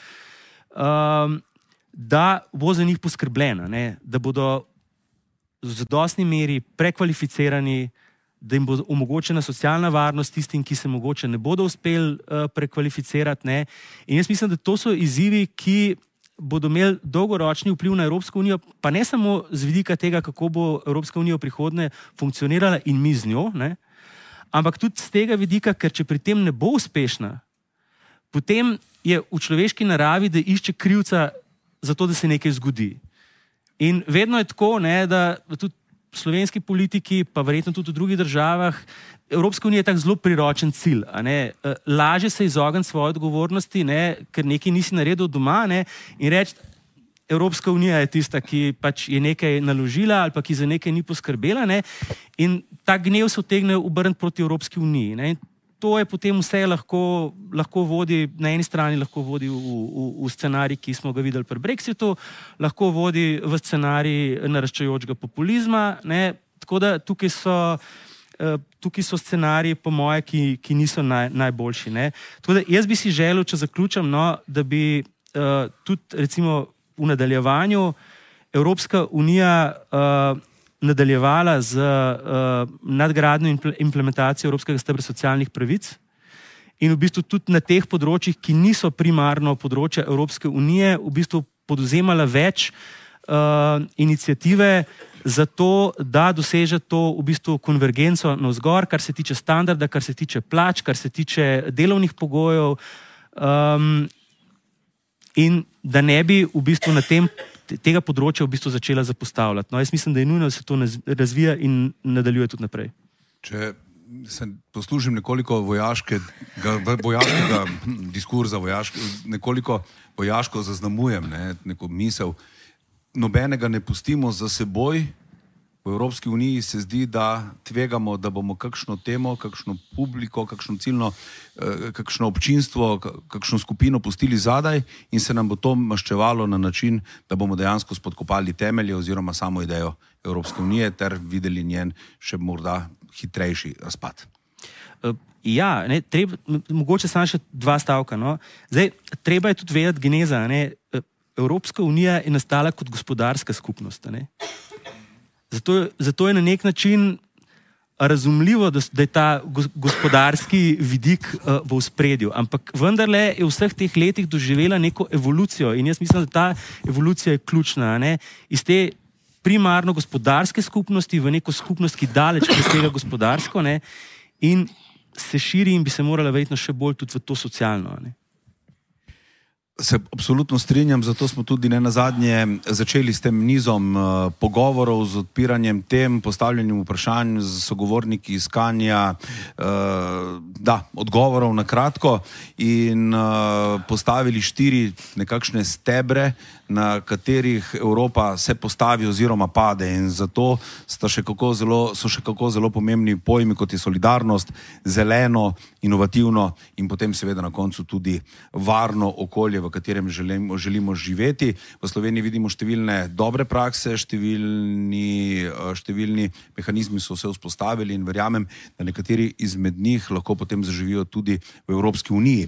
da bo za njih poskrbljeno, da bodo v zadostni meri prekvalificirani, da jim bo omogočena socialna varnost tistim, ki se mogoče ne bodo uspeli prekvalificirati. Ne? In jaz mislim, da to so izzivi, ki bodo imeli dolgoročni vpliv na Evropsko unijo, pa ne samo z vidika tega, kako bo Evropska unija v prihodnje funkcionirala in mi z njo, ne? Ampak tudi z tega vidika, ker če pri tem ne bo uspešna, potem je v človeški naravi, da išče krivca za to, da se nekaj zgodi. In vedno je tako, ne, da tudi slovenski politiki, pa verjetno tudi v drugih državah, Evropska unija je tak zelo priročen cilj. Laže se izogniti svoje odgovornosti, ne, ker nekaj nisi naredil doma, ne, in reči, Evropska unija je tista, ki pač je nekaj naložila ali pa ki za nekaj ni poskrbela, ne, in ta gnev se utegne obrniti proti Evropski uniji. Ne, in to je potem vse lahko vodi, na eni strani lahko vodi v scenarij, ki smo ga videli pri Brexitu, lahko vodi v scenarij naraščajočega populizma, ne, tako da tukaj so scenariji, po moje, ki niso najboljši. Ne. Tako da jaz bi si želel, če zaključam, no, da bi tudi recimo v nadaljevanju Evropska unija nadaljevala z nadgradnjo in implementacijo Evropskega stebra socialnih pravic in v bistvu tudi na teh področjih, ki niso primarno področja Evropske unije, v bistvu podvzemala več iniciative za to, da doseže to v bistvu konvergenco navzgor, kar se tiče standarda, kar se tiče plač, kar se tiče delovnih pogojev, in da ne bi v bistvu na tega področja v bistvu začela zapostavljati. No, jaz mislim, da je nujno, da se to razvija in nadaljuje tudi naprej. Če se poslužim nekoliko vojaškega diskurza, nekoliko vojaško zaznamujem, neko misel, nobenega ne pustimo za seboj. V Evropski uniji se zdi, da tvegamo, da bomo kakšno temo, kakšno publiko, kakšno ciljno, kakšno občinstvo, kakšno skupino pustili zadaj in se nam bo to maščevalo na način, da bomo dejansko spodkopali temelje oziroma samo idejo Evropske unije ter videli njen še morda hitrejši razpad. Ja, ne, mogoče samo še 2 stavka. No. Zdaj, treba je tudi vedeti geneza. Ne. Evropska unija je nastala kot gospodarska skupnost. Ne. Zato je na nek način razumljivo, da je ta gospodarski vidik v ospredju. Ampak vendarle je v vseh teh letih doživela neko evolucijo in jaz mislim, da ta evolucija je ključna. Ne? Iz te primarno gospodarske skupnosti v neko skupnost, ki daleč presega gospodarsko, ne? In se širi in bi se morala verjetno še bolj tudi v to socialno. Ne? Se absolutno strinjam, zato smo tudi nenazadnje začeli s tem nizom pogovorov, z odpiranjem tem, postavljanjem vprašanj z sogovorniki iskanja odgovorov na kratko in postavili 4 nekakšne stebre, na katerih Evropa se postavi oziroma pade in zato so še kako zelo pomembni pojmi, kot je solidarnost, zeleno, inovativno in potem seveda na koncu tudi varno okolje, v katerem želimo živeti. V Sloveniji vidimo številne dobre prakse, številni mehanizmi so se vzpostavili in verjamem, da nekateri izmed njih lahko potem zaživijo tudi v Evropski uniji.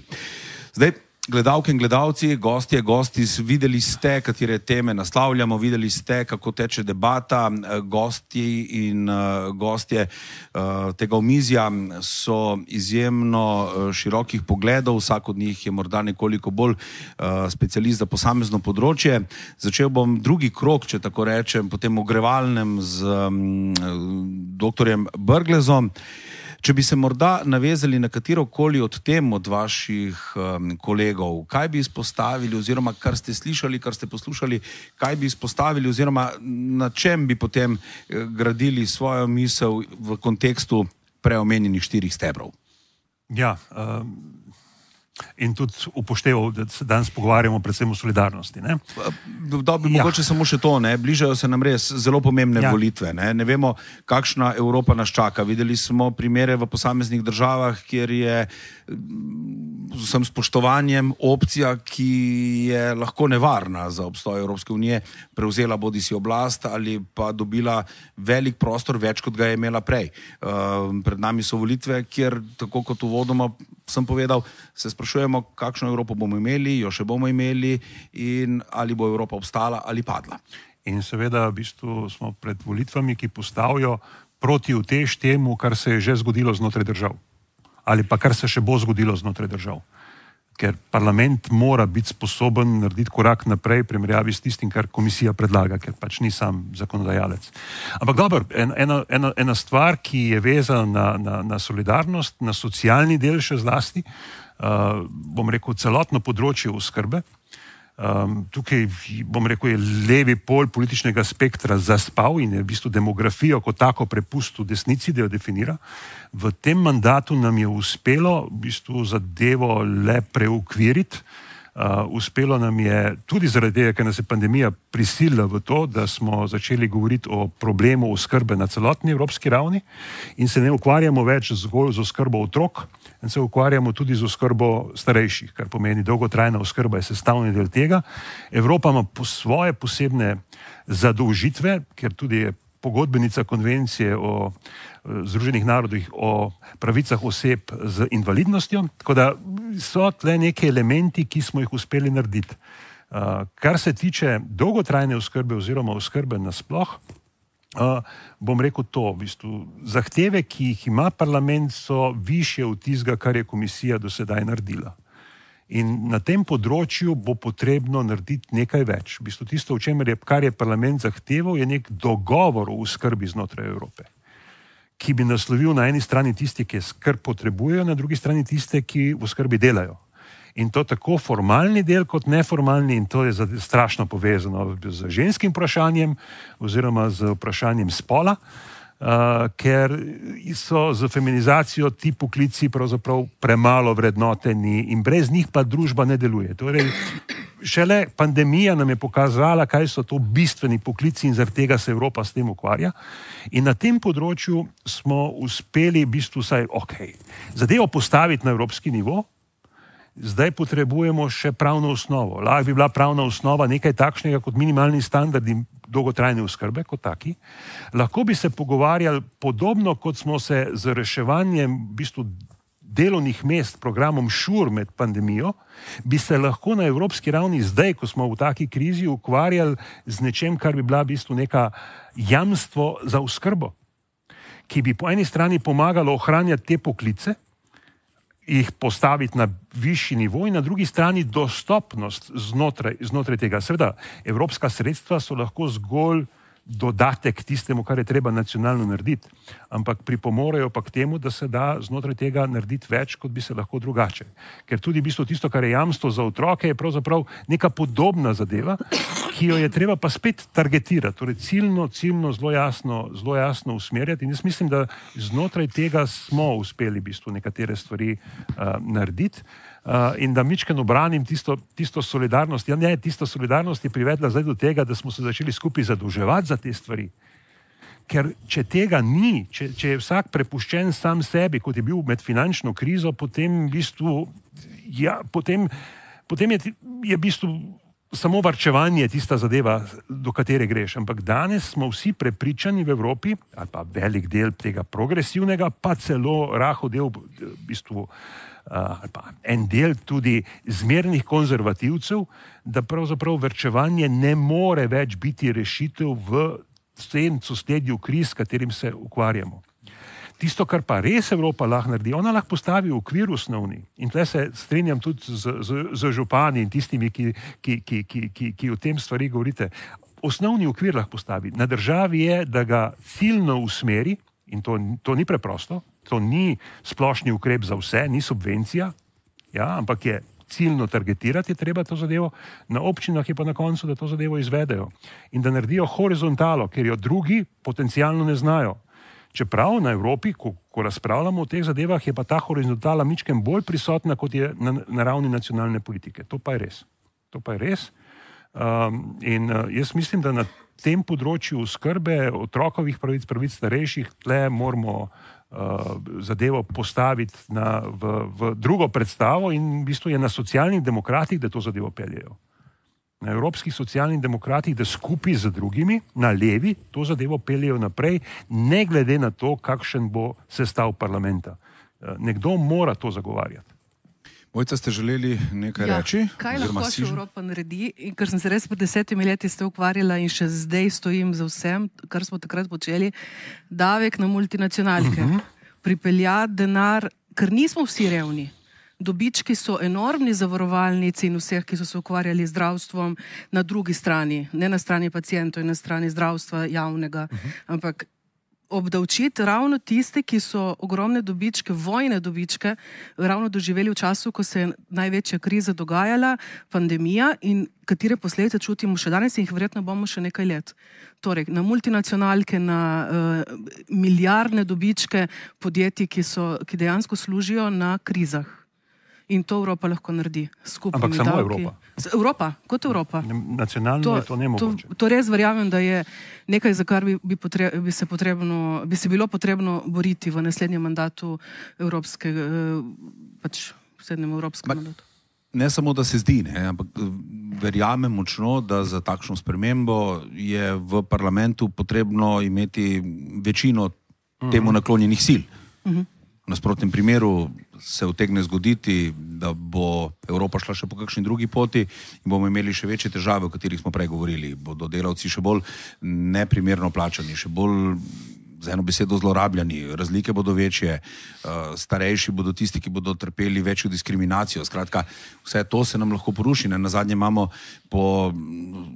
Zdaj, gledalke in gledalci, gosti, videli ste, katere teme naslavljamo, videli ste, kako teče debata, gosti in gostje tega omizja so izjemno širokih pogledov, vsak od njih je morda nekoliko bolj specialist za posamezno področje. Začel bom drugi krog, če tako rečem, potem ogrevalnem z doktorjem Brglezom. Če bi se morda navezali na katerokoli od tem od vaših kolegov, kaj bi izpostavili oziroma kar ste slišali, kar ste poslušali, kaj bi izpostavili oziroma na čem bi potem gradili svojo misel v kontekstu preomenjenih 4 stebrov? Ja, in tudi upošteval, da se danes pogovarjamo predvsem o solidarnosti. Ne? Mogoče samo še to, bližajo se nam res zelo pomembne volitve. Ne vemo, kakšna Evropa nas čaka. Videli smo primere v posameznih državah, kjer je z vsem spoštovanjem opcija, ki je lahko nevarna za obstoj Evropske unije, prevzela bodisi oblast ali pa dobila velik prostor, več kot ga je imela prej. Pred nami so volitve, kjer, tako kot uvodoma sem povedal, se sprašujemo, kakšno Evropo bomo imeli, jo še bomo imeli in ali bo Evropa obstala ali padla. In seveda v bistvu smo pred volitvami, ki postavijo proti utež temu, kar se je že zgodilo znotraj držav. Ali pa kar se še bo zgodilo znotraj držav. ker parlament mora biti sposoben narediti korak naprej v primerjavi s tistim, kar komisija predlaga, ker pač ni sam zakonodajalec. Ampak dobro, ena stvar, ki je vezana na solidarnost, na socialni del še zlasti, bom rekel, celotno področje oskrbe. Tukaj, bom rekel, je levi pol političnega spektra zaspal in je v bistvu demografijo kot tako prepustil desnici, da jo definira. V tem mandatu nam je uspelo v bistvu zadevo le preukviriti. Uspelo nam je tudi zaradi tega, ker nas je pandemija prisilila v to, da smo začeli govoriti o problemu oskrbe na celotni evropski ravni in se ne ukvarjamo več zgolj z oskrbo otrok, in se ukvarjamo tudi z oskrbo starejših, kar pomeni dolgotrajna oskrba je sestavni del tega. Evropa ima svoje posebne zadolžitve, ker tudi je pogodbenica konvencije o Združenih narodih o pravicah oseb z invalidnostjo, tako da so tle neki elementi, ki smo jih uspeli narediti. Kar se tiče dolgotrajne oskrbe oziroma oskrbe nasploh, bom rekel to, v bistvu, zahteve, ki jih ima parlament, so višje od tistega, kar je komisija do sedaj naredila. In na tem področju bo potrebno narediti nekaj več. V bistvu tisto, kar je parlament zahteval, je nek dogovor o oskrbi znotraj Evrope, ki bi naslovil na eni strani tiste, ki skrb potrebujejo, na drugi strani tiste, ki v oskrbi delajo. In to tako formalni del kot neformalni, in to je strašno povezano z ženskim vprašanjem oziroma z vprašanjem spola, ker so z feminizacijo ti poklici pravzaprav premalo vrednoteni in brez njih pa družba ne deluje. Torej, šele pandemija nam je pokazala, kaj so to bistveni poklici in zaradi tega se Evropa s tem ukvarja. In na tem področju smo uspeli v bistvu zadevo postaviti na evropski nivo. Zdaj potrebujemo še pravno osnovo. Lahko bi bila pravna osnova nekaj takšnega kot minimalni standardi dolgotrajne oskrbe kot taki. Lahko bi se pogovarjali podobno, kot smo se z reševanjem v bistvu delovnih mest, programom ŠUR med pandemijo, bi se lahko na evropski ravni zdaj, ko smo v taki krizi, ukvarjali z nečem, kar bi bila v bistvu neka jamstvo za oskrbo, ki bi po eni strani pomagalo ohranjati te poklice, jih postaviti na višji nivo in na drugi strani dostopnost znotraj tega. Seveda, evropska sredstva so lahko zgolj dodatek tistemu, kar je treba nacionalno narediti, ampak pripomorejo pa k temu, da se da znotraj tega narediti več, kot bi se lahko drugače. Ker tudi v bistvu tisto, kar je jamstvo za otroke, je pravzaprav neka podobna zadeva, ki jo je treba pa spet targetirati, torej ciljno zelo jasno usmerjati. In jaz mislim, da znotraj tega smo uspeli v bistvu nekatere stvari narediti. In da mičken obranim tisto solidarnost. Tisto solidarnost je privedla zdaj do tega, da smo se začeli skupaj zadolževati za te stvari. Ker če tega ni, če je vsak prepuščen sam sebi, kot je bil med finančno krizo, potem v bistvu, potem je v bistvu samo varčevanje tista zadeva, do katere greš. Ampak danes smo vsi prepričani v Evropi, ali pa velik del tega progresivnega, pa celo rahel del v bistvu ali pa en del tudi zmernih konzervativcev, da pravzaprav varčevanje ne more več biti rešitev v tem sosledju kriz, s katerim se ukvarjamo. Tisto, kar pa res Evropa lahko naredi, ona lahko postavi okvir osnovni. In tle se strinjam tudi z župani in tistimi, ki o tem stvari govorite. Osnovni okvir lahko postavi. Na državi je, da ga ciljno usmeri, in to ni preprosto, to ni splošni ukrep za vse, ni subvencija, ampak je ciljno targetirati, je treba to zadevo, na občinah je pa na koncu, da to zadevo izvedejo. In da naredijo horizontalo, ker jo drugi potencialno ne znajo. Čeprav na Evropi, ko razpravljamo o teh zadevah, je pa ta horizontala mičken bolj prisotna, kot je na ravni nacionalne politike. To pa je res. In jaz mislim, da na tem področju oskrbe otrokovih pravic starejših, tle moramo zadevo postaviti v drugo predstavo in v bistvu je na socialnih demokratih, da to zadevo peljejo. Na evropskih socialnih demokratih, da skupaj z drugimi, na levi, to zadevo peljejo naprej, ne glede na to, kakšen bo sestav parlamenta. Nekdo mora to zagovarjati. Mojca, ste želeli nekaj reči? Kaj lahko še Evropa naredi? Ker sem se res pred 10 leti ukvarjala in še zdaj stojim za vsem, kar smo takrat počeli, davek na multinacionalke. Pripeljati denar, ker nismo vsi revni. Dobički so enormni zavarovalnici in vseh, ki so se ukvarjali z zdravstvom na drugi strani, ne na strani pacientov in na strani zdravstva javnega, ampak obdavčiti ravno tiste, ki so ogromne dobičke, vojne dobičke, ravno doživeli v času, ko se je največja kriza dogajala, pandemija, in katere posledice čutimo še danes in jih verjetno bomo še nekaj let. Torej, na multinacionalke, na milijardne dobičke podjetij, ki dejansko služijo na krizah. In to Evropa lahko naredi. Ampak samo Evropa. Evropa, kot Evropa. Nacionalno je to nemogoče. To res verjamem, da je nekaj, za kar bi se bilo potrebno boriti v naslednjem mandatu naslednjem evropskem mandatu. Ne samo, da se zdi, ampak verjamem močno, da za takšno spremembo je v parlamentu potrebno imeti večino temu naklonjenih sil. V nasprotnem primeru se utegne zgoditi, da bo Evropa šla še po kakšni drugi poti in bomo imeli še večje težave, o katerih smo prej govorili. Bodo delavci še bolj neprimerno plačani, še bolj z eno besedo zlorabljani, razlike bodo večje, starejši bodo tisti, ki bodo trpeli večjo diskriminacijo. Skratka, vse to se nam lahko poruši. Nazadnje imamo po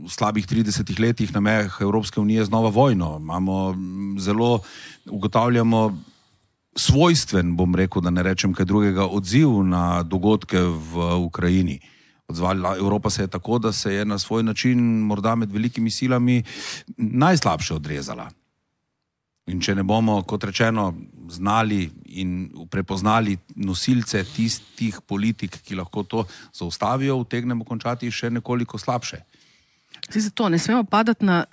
slabih 30 letih na mejah Evropske unije znova vojno. Ugotavljamo svojstven, bom rekel, da ne rečem kaj drugega, odziv na dogodke v Ukrajini. Evropa se je tako, da se je na svoj način morda med velikimi silami najslabše odrezala. In če ne bomo, kot rečeno, znali in prepoznali nosilce tistih politik, ki lahko to zaustavijo, utegnemo končati še nekoliko slabše. Zato ne smemo padati na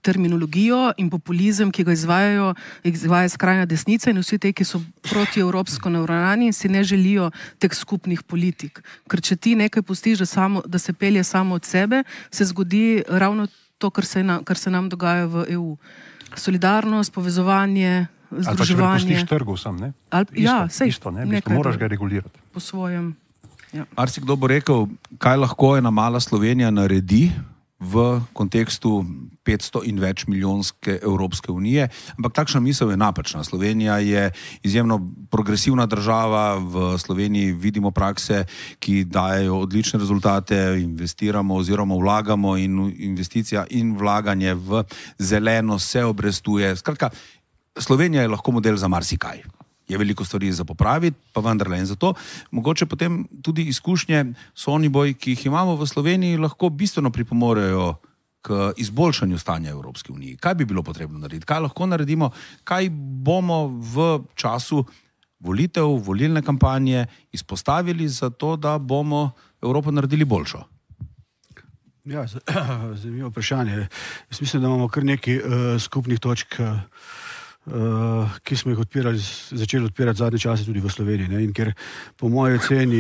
terminologijo in populizem, ki ga izvaja skrajna desnica in vsi te, ki so protievropsko naravnani in si ne želijo teh skupnih politik. Ker če ti nekaj pustiš, da se pelje samo od sebe, se zgodi ravno to, kar se nam dogaja v EU. Solidarnost, povezovanje, združevanje. Ali pa če prepustiš trgu sam, ne? Isto, ne? Moraš ga regulirati. Po svojem. Ja. Marsikdo bo rekel, kaj lahko ena mala Slovenija naredi v kontekstu 500 in več milijonske Evropske unije, ampak takšna misel je napačna. Slovenija je izjemno progresivna država, v Sloveniji vidimo prakse, ki dajejo odlične rezultate, investiramo oziroma vlagamo in investicija in vlaganje v zeleno se obrestuje. Skratka, Slovenija je lahko model za marsikaj. Je veliko stvari za popraviti, pa vendarle. In zato mogoče potem tudi izkušnje Soniboj, ki jih imamo v Sloveniji, lahko bistveno pripomorejo k izboljšanju stanja Evropske unije. Kaj bi bilo potrebno narediti? Kaj lahko naredimo? Kaj bomo v času volitev, volilne kampanje izpostavili za to, da bomo Evropo naredili boljšo? Ja, zanimivo vprašanje. Jaz mislim, da imamo kar nekaj skupnih točk, ki smo jih začeli odpirati zadnje čase tudi v Sloveniji. Ne? In ker po moji oceni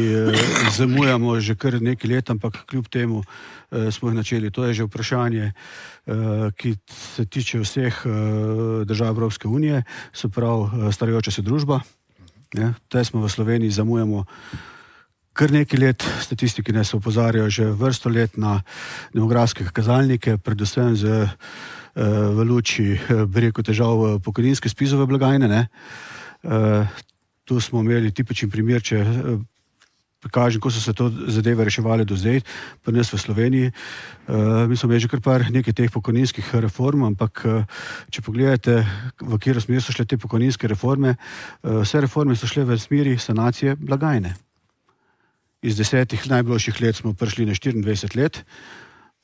zamujamo že kar nekaj let, ampak kljub temu smo jih načeli. To je že vprašanje, ki se tiče vseh držav Evropske unije, se pravi starajoča se družba. Te smo v Sloveniji zamujamo kar nekaj let. Statistiki nas opozarjajo že vrsto let na demografske kazalnike, predvsem v luči, bi rekel, težav pokojninske spizove blagajne. Tu smo imeli tipičen primer, če prikažem, ko so se to zadeve reševali do zdaj, pa nas v Sloveniji. Mi smo imeli že kar nekaj teh pokojninskih reform, ampak če pogledate, v katero smer so šle te pokojninske reforme, vse reforme so šle v smeri sanacije blagajne. Iz 10 najboljših let smo prišli na 24 let,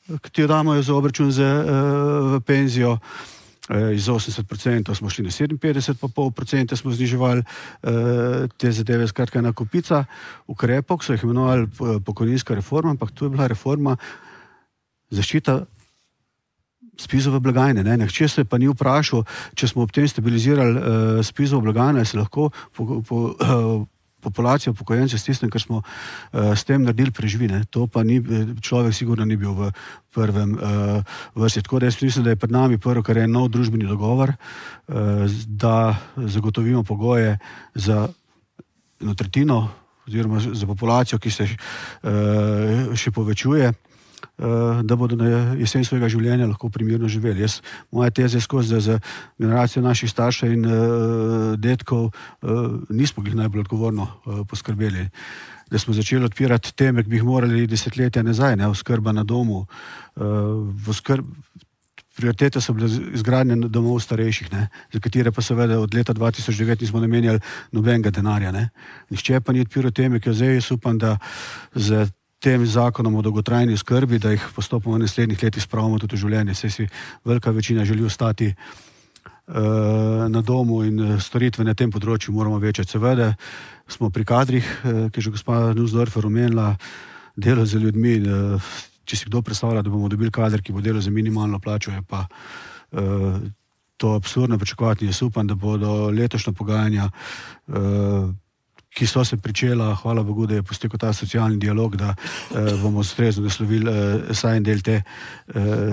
ki jo damo za obračun v penzijo. Iz 80% smo šli na 57,5%, smo zniževali te zadeve. Skratka, ena kupica ukrepov, ki so jih imenovali pokojninska reforma, ampak to je bila reforma zaščita spizove blagajne. Nihče se pa ni vprašal, če smo ob tem stabilizirali spizovo blagajno, se lahko populacija upokojencev s tistem, kar smo s tem naredili, preživi. To pa človek sigurno ni bil v prvem vrsti. Tako da jaz mislim, da je pred nami prvo, kar je nov družbeni dogovor, da zagotovimo pogoje za eno tretjino oziroma za populacijo, ki se še povečuje, da bodo na jesen svojega življenja lahko primirno živeli. Moja teza je skozi, da za generacijo naših staršev in detkov nismo jih najbolj odgovorno poskrbeli. Da smo začeli odpirati teme, ki bi jih morali desetletja nazaj, oskrba na domu, prioritete so bile izgradnje domov starejših, za katere pa seveda od leta 2009 nismo namenjali nobenega denarja. Nihče pa ni odpiral teme, ki jo zdaj jaz upam, da z tem zakonom o dolgotrajni oskrbi, da jih postopoma v naslednjih letih spravimo tudi v življenje. Saj si velika večina želi ostati na domu in storitve na tem področju moramo večati. Seveda smo pri kadrih, ki je že gospa Nussdorfer omenila, delo z ljudmi. Če si kdo predstavlja, da bomo dobili kader, ki bo delal za minimalno plačo, je pa to absurdno pričakovati. Jaz upam, da bodo letošnja pogajanja, ki so se pričela, hvala Bogu, da je postekel ta socialni dialog, da bomo ustrezno naslovili saj en del te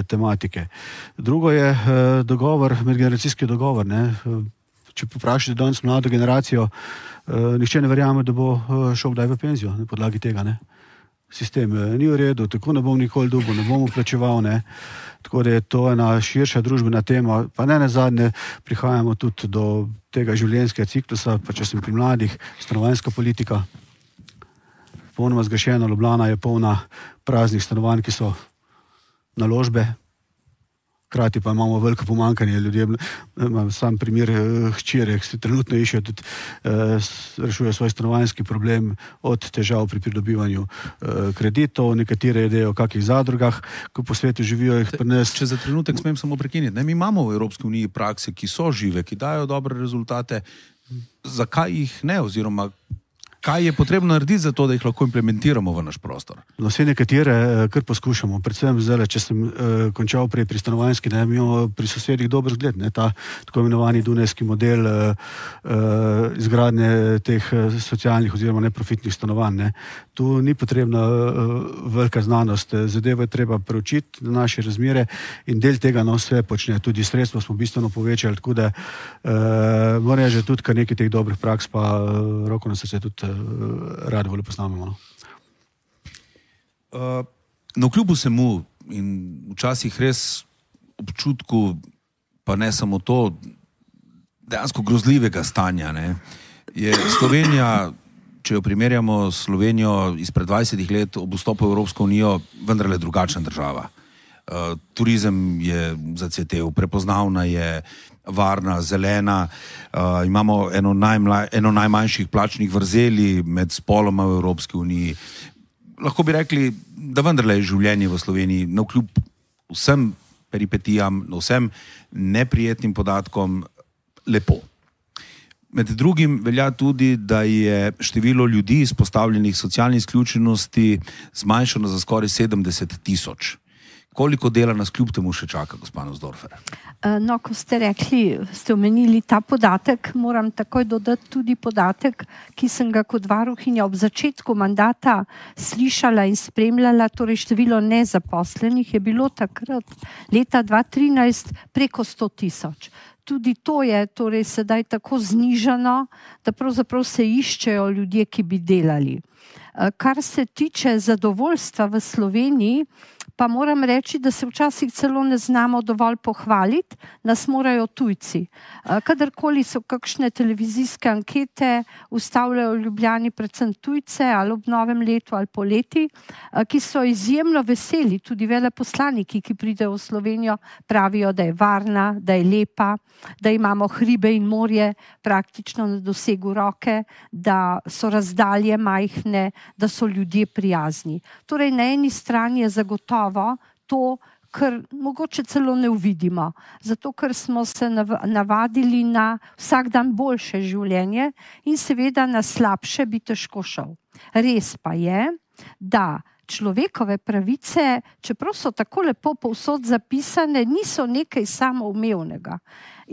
tematike. Drugo je dogovor, medgeneracijski dogovor. Če poprašate danes mlado generacijo, nihče ne verjame, da bo šel kdaj v penzijo na podlagi tega. Sistem ni v redu, tako ne bom nikoli dolgo, ne bom vplačeval. Tako da je to ena širša družbena tema, pa ne nazadnje prihajamo tudi do tega življenjskega ciklusa, pa če sem pri mladih, stanovanjska politika, popolnoma zgrešena, Ljubljana je polna praznih stanovanj, ki so naložbe, hkrati pa imamo veliko pomanjkanje ljudje. Imam sam primer hčere, ki se trenutno iščejo, tudi rešuje svoj stanovanjski problem od težav pri pridobivanju kreditov, nekatere ideje o kakih zadrugah, ko po svetu živijo jih pri nas. Če za trenutek smem samo prekiniti, mi imamo v Evropski uniji prakse, ki so žive, ki dajo dobre rezultate. Zakaj jih ne, oziroma kaj je potrebno narediti za to, da jih lahko implementiramo v naš prostor? No, vse nekatere kar poskušamo, predvsem zdaj, če sem končal prej pri stanovanjski, mi imamo pri sosedih dober zgled, ta tako imenovani dunajski model izgradnje teh socialnih oziroma neprofitnih stanovanj. Tu ni potrebna velika znanost, zadevo je treba preučiti na naše razmere in del tega vse počne, tudi sredstva smo bistveno povečali, tako da moram reči, že tudi kar nekaj teh dobrih praks, pa roko na srce tudi radi bolj poznamo. No, kljub vsemu in včasih res občutku, pa ne samo to, dejansko grozljivega stanja, je Slovenija, če jo primerjamo s Slovenijo izpred 20 let ob vstopu v Evropsko unijo, vendarle drugačna država. Turizem je zacvetel, prepoznavna je, varna, zelena, imamo eno najmanjših plačnih vrzeli med spoloma v Evropski uniji. Lahko bi rekli, da vendarle je življenje v Sloveniji navkljub vsem peripetijam, vsem neprijetnim podatkom lepo. Med drugim velja tudi, da je število ljudi izpostavljenih socialni izključenosti zmanjšano za skoraj 70 000. Koliko dela nas kljub temu še čaka, gospa Nussdorfer? No, ko ste rekli, ste omenili ta podatek, moram takoj dodati tudi podatek, ki sem ga kot varuhinja ob začetku mandata slišala in spremljala, torej število nezaposlenih je bilo takrat leta 2013 preko 100 000. Tudi to je torej sedaj tako znižano, da pravzaprav se iščejo ljudje, ki bi delali. Kar se tiče zadovoljstva v Sloveniji, pa moram reči, da se včasih celo ne znamo dovolj pohvaliti, nas morajo tujci. Kadarkoli so kakšne televizijske ankete, ustavljajo v Ljubljani predvsem tujce, ali ob novem letu ali poleti, ki so izjemno veseli, tudi veleposlaniki, ki pridejo v Slovenijo, pravijo, da je varna, da je lepa, da imamo hribe in morje praktično na dosegu roke, da so razdalje majhne, da so ljudje prijazni. Torej, na eni strani je zagotovo to, kar mogoče celo ne uvidimo, zato ker smo se navadili na vsak dan boljše življenje in seveda na slabše bi težko šel. Res pa je, da človekove pravice, čeprav so tako lepo povsod zapisane, niso nekaj samoumevnega.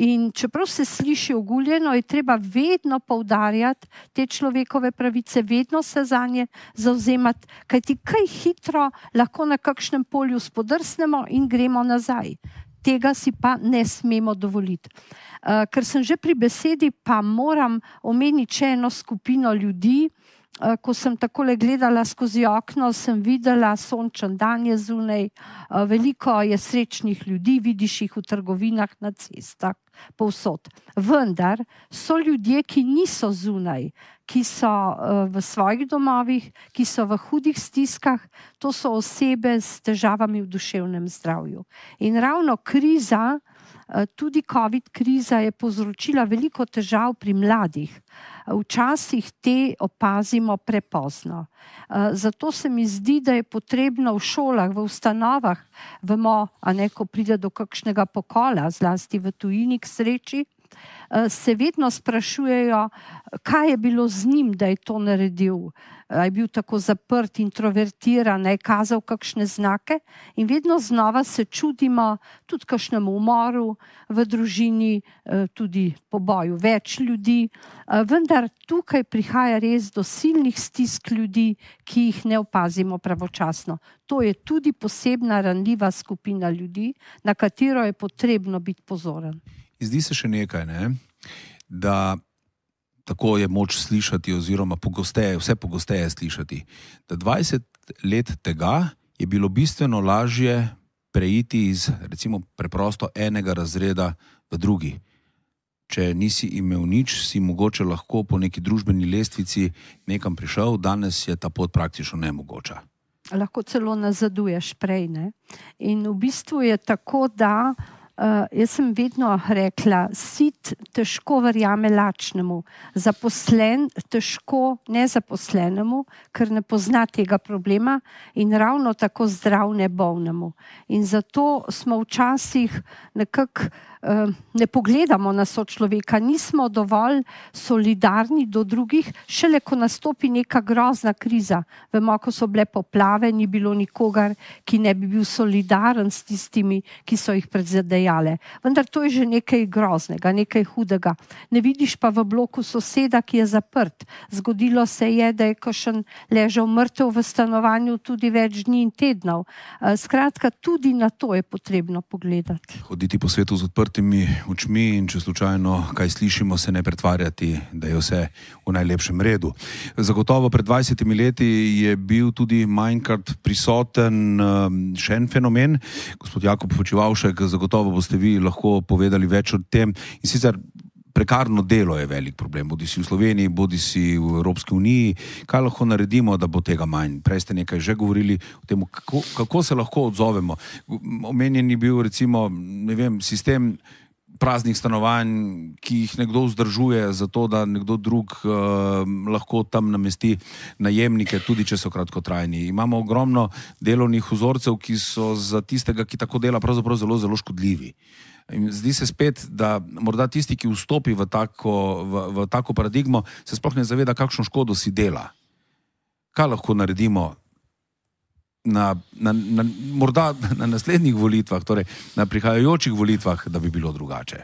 In čeprav se sliši oguljeno, je treba vedno poudarjati te človekove pravice, vedno se zanje zavzemati, kajti kaj hitro lahko na kakšnem polju spodrsnemo in gremo nazaj. Tega si pa ne smemo dovoliti. Ker sem že pri besedi, pa moram omeniti še eno skupino ljudi, ko sem takole gledala skozi okno, sem videla sončen dan je zunaj, veliko je srečnih ljudi, vidiš jih v trgovinah, na cestah, povsod. Vendar so ljudje, ki niso zunaj, ki so v svojih domovih, ki so v hudih stiskah, to so osebe s težavami v duševnem zdravju. In ravno kriza, tudi COVID kriza je povzročila veliko težav pri mladih. Včasih te opazimo prepozno. Zato se mi zdi, da je potrebno v šolah, v ustanovah, vemo, ko pride do kakšnega pokola, zlasti v tujini k sreči, se vedno sprašujejo, kaj je bilo z njim, da je to naredil. Je bil tako zaprt, introvertiran, je kazal kakšne znake in vedno znova se čudimo tudi kakšnemu umoru v družini, tudi poboju več ljudi, vendar tukaj prihaja res do silnih stisk ljudi, ki jih ne opazimo pravočasno. To je tudi posebna ranljiva skupina ljudi, na katero je potrebno biti pozoren. Zdi se še nekaj, da tako je moč slišati oziroma vse pogosteje slišati, da 20 let tega je bilo bistveno lažje preiti iz recimo preprosto enega razreda v drugi. Če nisi imel nič, si mogoče lahko po neki družbeni lestvici nekam prišel, danes je ta pot praktično nemogoča. Lahko celo nazaduješ prej, In v bistvu je tako, da jaz sem vedno rekla, sit težko verjame lačnemu, zaposlen težko nezaposlenemu, ker ne pozna tega problema in ravno tako zdrav ne bolnemu. In zato smo včasih nekako ne pogledamo na sočloveka, nismo dovolj solidarni do drugih, šele ko nastopi neka grozna kriza. Vemo, ko so bile poplave, ni bilo nikogar, ki ne bi bil solidaren s tistimi, ki so jih prizadejale. Vendar to je že nekaj groznega, nekaj hudega. Ne vidiš pa v bloku soseda, ki je zaprt. Zgodilo se je, da je kakšen ležal mrtev v stanovanju tudi več dni in tednov. Skratka, tudi na to je potrebno pogledati. Hoditi po svetu z odprtimi očmi in če slučajno kaj slišimo, se ne pretvarjati, da je vse v najlepšem redu. Zagotovo pred 20 leti je bil tudi manjkrat prisoten še en fenomen. Gospod Jakob Počivavšek, zagotovo boste vi lahko povedali več o tem. In sicer prekarno delo je velik problem, bodi si v Sloveniji, bodi si v Evropski uniji. Kaj lahko naredimo, da bo tega manj? Prej ste nekaj že govorili o tem, kako se lahko odzovemo. Omenjen je bil recimo, sistem praznih stanovanj, ki jih nekdo vzdržuje zato, da nekdo drug lahko tam namesti najemnike, tudi če so kratkotrajni. Imamo ogromno delovnih vzorcev, ki so za tistega, ki tako dela, pravzaprav zelo, zelo škodljivi. In zdi se spet, da morda tisti, ki vstopi v tako paradigmo, se sploh ne zaveda, kakšno škodo si dela. Kaj lahko naredimo morda na naslednjih volitvah, torej na prihajajočih volitvah, da bi bilo drugače?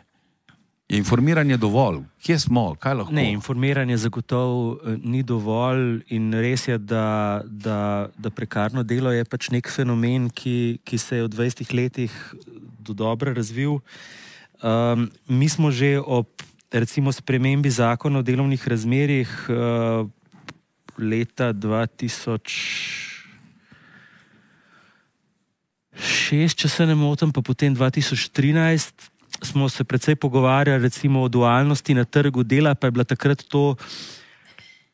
Je informiranje dovolj? Kje smo? Kaj lahko? Ne, informiranje zagotovo ni dovolj in res je, da prekarno delo je pač nek fenomen, ki se je v 20 letih do dobro razvil. Mi smo že ob recimo spremembi zakona o delovnih razmerjih leta 2006, če se ne motim, pa potem 2013, smo se precej pogovarjali recimo o dualnosti na trgu dela, pa je bila takrat to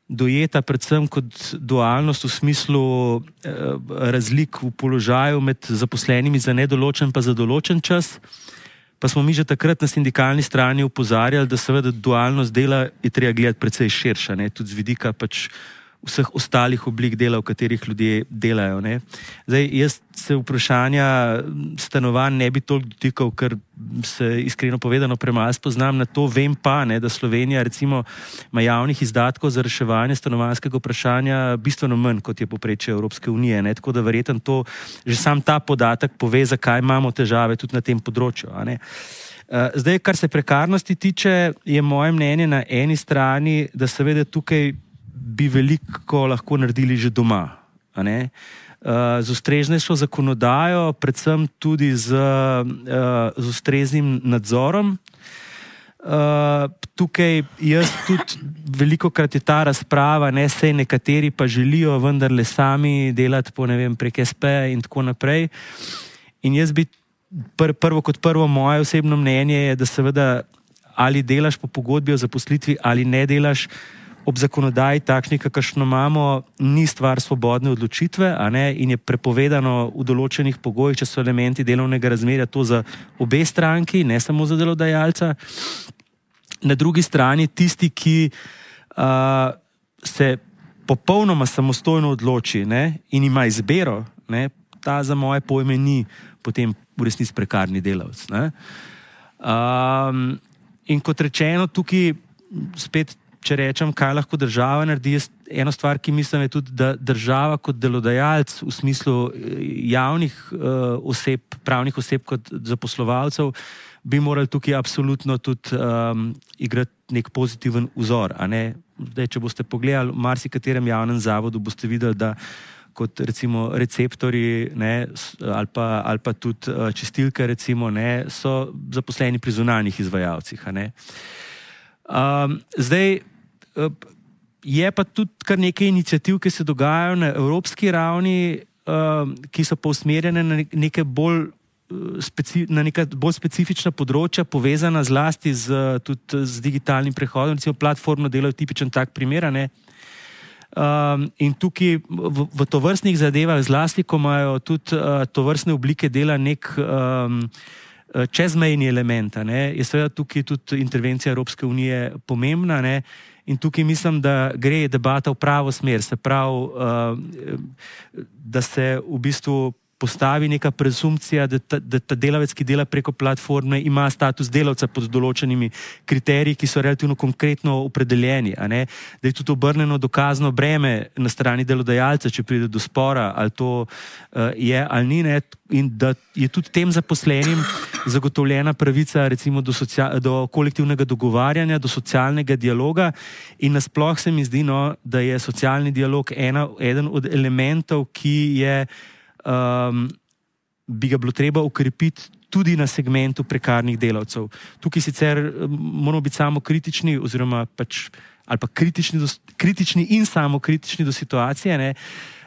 dojeta predvsem kot dualnost v smislu razlik v položaju med zaposlenimi za nedoločen pa za določen čas. Pa smo mi že takrat na sindikalni strani opozarjali, da seveda dualnost dela je treba gledati precej širša, tudi z vidika pač vseh ostalih oblik dela, v katerih ljudje delajo. Zdaj, jaz se vprašanja stanovanj ne bi toliko dotikal, ker se iskreno povedano premalo spoznam na to. Vem pa, da Slovenija recimo ima javnih izdatkov za reševanje stanovanjskega vprašanja bistveno manj, kot je povprečje Evropske unije. Tako da verjetno to, že sam ta podatek pove, zakaj imamo težave tudi na tem področju. Zdaj, kar se prekarnosti tiče, je moje mnenje na eni strani, da seveda tukaj bi veliko lahko naredili že doma. Z ustreznejšo zakonodajo, predvsem tudi z ustreznim nadzorom. tukaj jaz tudi veliko krat je ta razprava, ne, sej nekateri pa želijo vendarle sami delati po, ne vem, prek SP in tako naprej. In jaz bi prvo moje osebno mnenje je, da seveda ali delaš po pogodbi o zaposlitvi ali ne delaš, ob zakonodaji takšni, kakršno imamo, ni stvar svobodne odločitve, a ne, in je prepovedano v določenih pogojih, če so elementi delovnega razmerja, to za obe stranki, ne samo za delodajalca. Na drugi strani tisti, ki se popolnoma samostojno odloči, ne, in ima izbiro, ne, ta za moje pojme ni potem v resnici prekarni delavec. Ne. In kot rečeno, tukaj spet, če rečem, kaj lahko država naredi, eno stvar, ki mislim, je tudi, da država kot delodajalec v smislu javnih oseb, pravnih oseb kot zaposlovalcev, bi morali tukaj absolutno tudi igrati nek pozitiven vzor. A ne? Zdaj, če boste pogledali v marsikaterem javnem zavodu, boste videli, da kot recimo receptorji, ne, ali pa tudi čistilke recimo, ne, so zaposleni pri zunanjih izvajalcih. A ne? Zdaj, je pa tudi kar nekaj iniciativ, ki se dogajajo na evropski ravni, ki so pa usmerjene na neke bolj specifična področja, povezana zlasti tudi z digitalnim prehodom, recimo platformno delo je tipičen tak primer, ne? In tukaj v tovrstnih zadevah, zlasti ko imajo tudi tovrstne oblike dela nek čezmejni element, ne? Je seveda tukaj tudi intervencija Evropske unije pomembna, ne? In tukaj mislim, da gre debata v pravo smer, se pravi, da se v bistvu postavi neka presumpcija, da ta delavec, ki dela preko platforme, ima status delavca pod določenimi kriteriji, ki so relativno konkretno opredeljeni, a ne? Da je tudi obrneno dokazno breme na strani delodajalca, če pride do spora, ali to je ali ni, ne? In da je tudi tem zaposlenim zagotovljena pravica recimo do kolektivnega dogovarjanja, do socialnega dialoga in nasploh se mi zdi, no, da je socialni dialog eden od elementov, ki je bi ga bilo treba ukrepiti tudi na segmentu prekarnih delavcev. Tukaj sicer moramo biti samo kritični, oziroma pač, ali pa kritični in samo kritični do situacije, ne,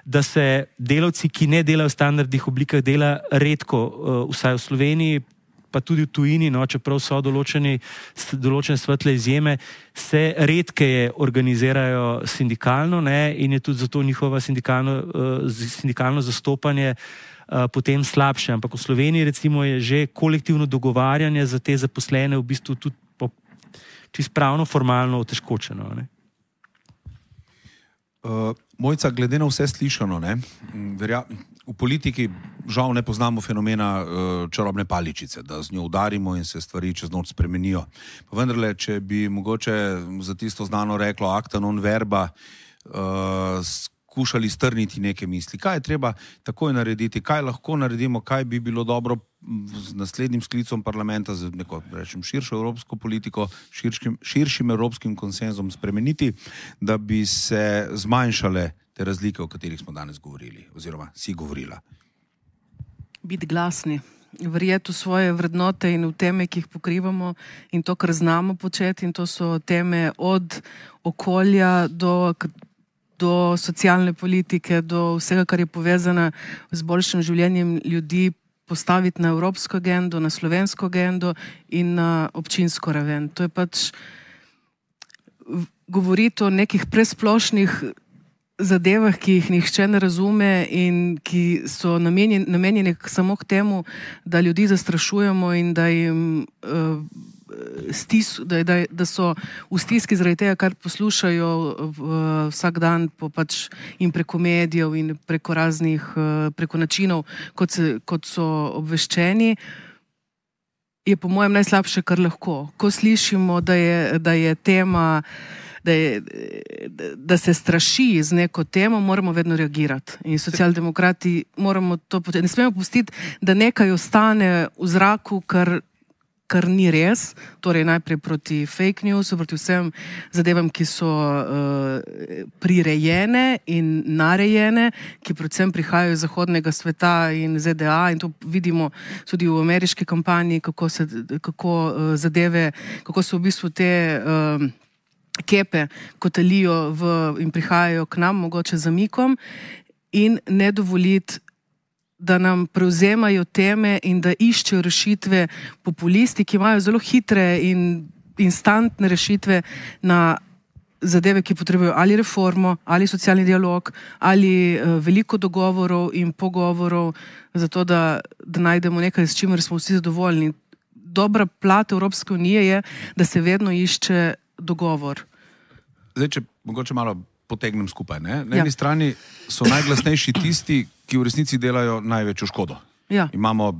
da se delavci, ki ne delajo v standardnih oblikah dela, redko, vsaj v Sloveniji, pa tudi v tujini, no, čeprav so določene svetle izjeme, se redkeje organizirajo sindikalno, ne, in je tudi zato njihovo sindikalno zastopanje potem slabše. Ampak v Sloveniji recimo je že kolektivno dogovarjanje za te zaposlene v bistvu tudi čisto pravno, formalno otežkočeno. Ne. Mojca, glede na vse slišano, ne, v politiki žal ne poznamo fenomena čarobne paličice, da z njo udarimo in se stvari čez noč spremenijo. Pa vendarle, če bi mogoče za tisto znano reklo acta non verba skušali strniti neke misli. Kaj je treba takoj narediti, kaj lahko naredimo, kaj bi bilo dobro z naslednjim sklicom parlamenta, z neko, rečem, širšo evropsko politiko, širšim evropskim konsenzom spremeniti, da bi se zmanjšale te razlike, o katerih smo danes govorili, oziroma si govorila. Biti glasni, verjeti v svoje vrednote in v teme, ki jih pokrivamo in to, kar znamo početi, in to so teme od okolja do socialne politike, do vsega, kar je povezano z boljšim življenjem ljudi, postaviti na evropsko agendo, na slovensko agendo in na občinsko raven. To je pač govoriti o nekih presplošnih zadevah, ki jih nihče ne razume in ki so namenjeni samo k temu, da ljudi zastrašujemo in da jim da so v stiski zaradi tega, kar poslušajo vsak dan pač in preko medijev in preko raznih, preko načinov, kot so obveščeni, je po mojem najslabše, kar lahko. Ko slišimo, da je tema, da se straši z neko temo, moramo vedno reagirati. In socialdemokrati moramo to početi. Ne smemo pustiti, da nekaj ostane v zraku, kar kar ni res, torej najprej proti fake newsu, proti vsem zadevam, ki so prirejene in narejene, ki predvsem prihajajo iz zahodnega sveta in ZDA, in to vidimo tudi v ameriški kampanji, kako so v bistvu te kepe kotalijo in prihajajo k nam, mogoče zamikom, in ne dovoliti, da nam prevzemajo teme in da iščejo rešitve populisti, ki imajo zelo hitre in instantne rešitve na zadeve, ki potrebujejo ali reformo, ali socialni dialog, ali veliko dogovorov in pogovorov, zato da najdemo nekaj, s čimer smo vsi zadovoljni. Dobra plat Evropske unije je, da se vedno išče dogovor. Zdaj, če mogoče malo potegnem skupaj. Ne? Na eni strani so najglasnejši tisti, ki v resnici delajo največjo škodo. Ja. Imamo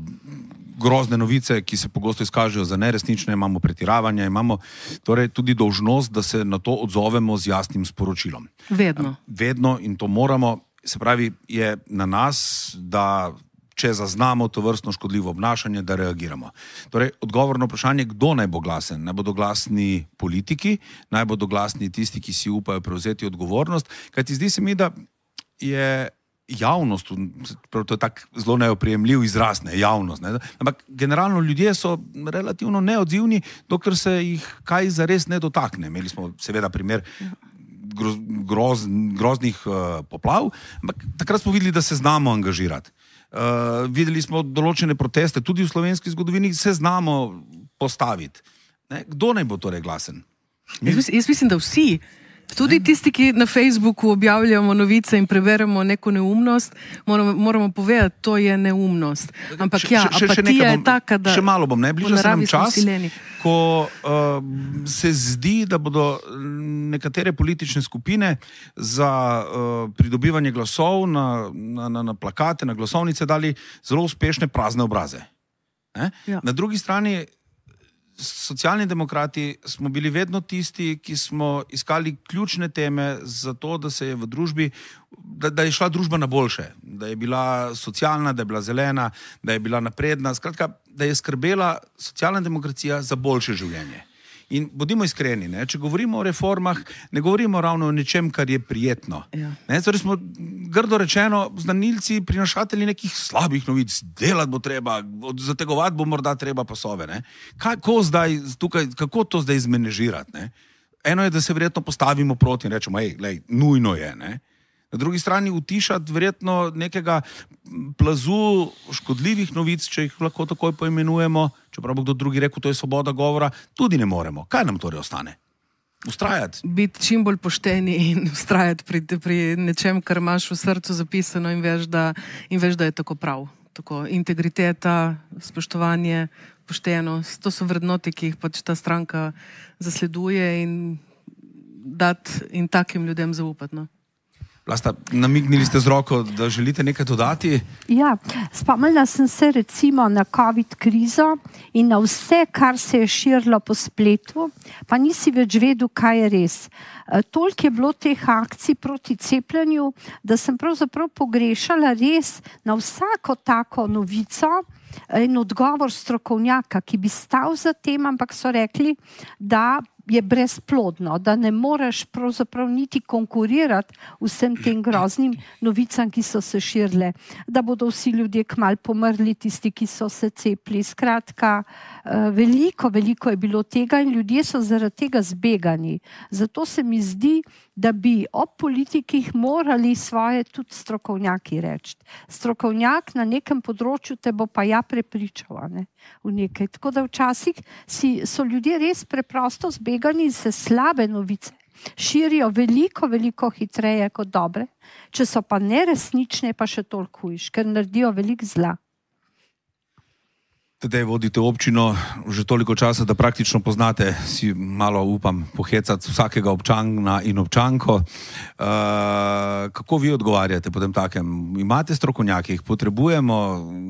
grozne novice, ki se pogosto izkažejo za neresnične, imamo pretiravanje, imamo torej tudi dolžnost, da se na to odzovemo z jasnim sporočilom. Vedno. Vedno, in to moramo, se pravi, je na nas, da če zaznamo to vrstno škodljivo obnašanje, da reagiramo. Torej, odgovor na vprašanje, kdo naj bo glasen? Naj bodo glasni politiki, naj bodo glasni tisti, ki si upajo prevzeti odgovornost, kajti zdi se mi, da je javnost, to je tak zelo neoprijemljiv izraz, ne, javnost, ne, ampak generalno ljudje so relativno neodzivni, dokler se jih kaj zares ne dotakne. Imeli smo seveda primer groznih poplav, ampak takrat smo videli, da se znamo angažirati. Videli smo določene proteste, tudi v slovenski zgodovini se znamo postaviti. Ne? Kdo naj bo torej glasen? Jaz mislim, da vsi. Tudi tisti, ki na Facebooku objavljamo novice in preberemo neko neumnost, moramo povedati, to je neumnost. Ampak apatija je taka, da... Še malo bom, ne? Bliža se nam čas, ko se zdi, da bodo nekatere politične skupine za pridobivanje glasov na plakate, na glasovnice dali zelo uspešne prazne obraze. Ja. Na drugi strani Socialni demokrati smo bili vedno tisti, ki smo iskali ključne teme za to, da se je v družbi, da je šla družba na boljše, da je bila socialna, da je bila zelena, da je bila napredna, skratka, da je skrbela socialna demokracija za boljše življenje. In bodimo iskreni, ne? Če govorimo o reformah, ne govorimo ravno o nečem, kar je prijetno. Ja. Torej smo, grdo rečeno, znanilci, prinašatelji nekih slabih novic, delati bo treba, zategovati bo morda treba pasove. Ne? Kako to zdaj izmenežirati? Ne? Eno je, da se verjetno postavimo proti in rečemo, nujno je. Ne? Na drugi strani utišati verjetno nekega plazu škodljivih novic, če jih lahko takoj poimenujemo, čeprav bo kdo drugi rekel, to je svoboda govora, tudi ne moremo. Kaj nam torej ostane? Ustrajati? Biti čim bolj pošteni in ustrajati pri nečem, kar imaš v srcu zapisano in veš, da je tako prav. Tako integriteta, spoštovanje, poštenost, to so vrednote, ki jih pač ta stranka zasleduje in takim ljudem zaupati. No? Vlasta, namignili ste z roko, da želite nekaj dodati? Ja, spomnila sem se recimo na COVID krizo in na vse, kar se je širilo po spletu, pa nisi več vedel, kaj je res. Toliko je bilo teh akcij proti cepljenju, da sem pravzaprav pogrešala res na vsako tako novico in odgovor strokovnjaka, ki bi stal za tem, ampak so rekli, da je brezplodno, da ne moreš pravzaprav niti konkurirati vsem tem groznim novicam, ki so se širile, da bodo vsi ljudje kmalu pomrli, tisti, ki so se cepili. Skratka, veliko je bilo tega in ljudje so zaradi tega zbegani. Zato se mi zdi, da bi ob politikih morali svoje tudi strokovnjaki reči. Strokovnjak na nekem področju te bo pa prepričal, ne, v nekaj. Tako da včasih so ljudje res preprosto zbegani in se slabe novice širijo veliko hitreje kot dobre. Če so pa neresnične, pa še toliko hujše, ker naredijo veliko zla. Tedej vodite občino že toliko časa, da praktično poznate, si malo upam pohecati vsakega občana in občanko. Kako vi odgovarjate potem takem? Imate strokovnjake, jih potrebujemo?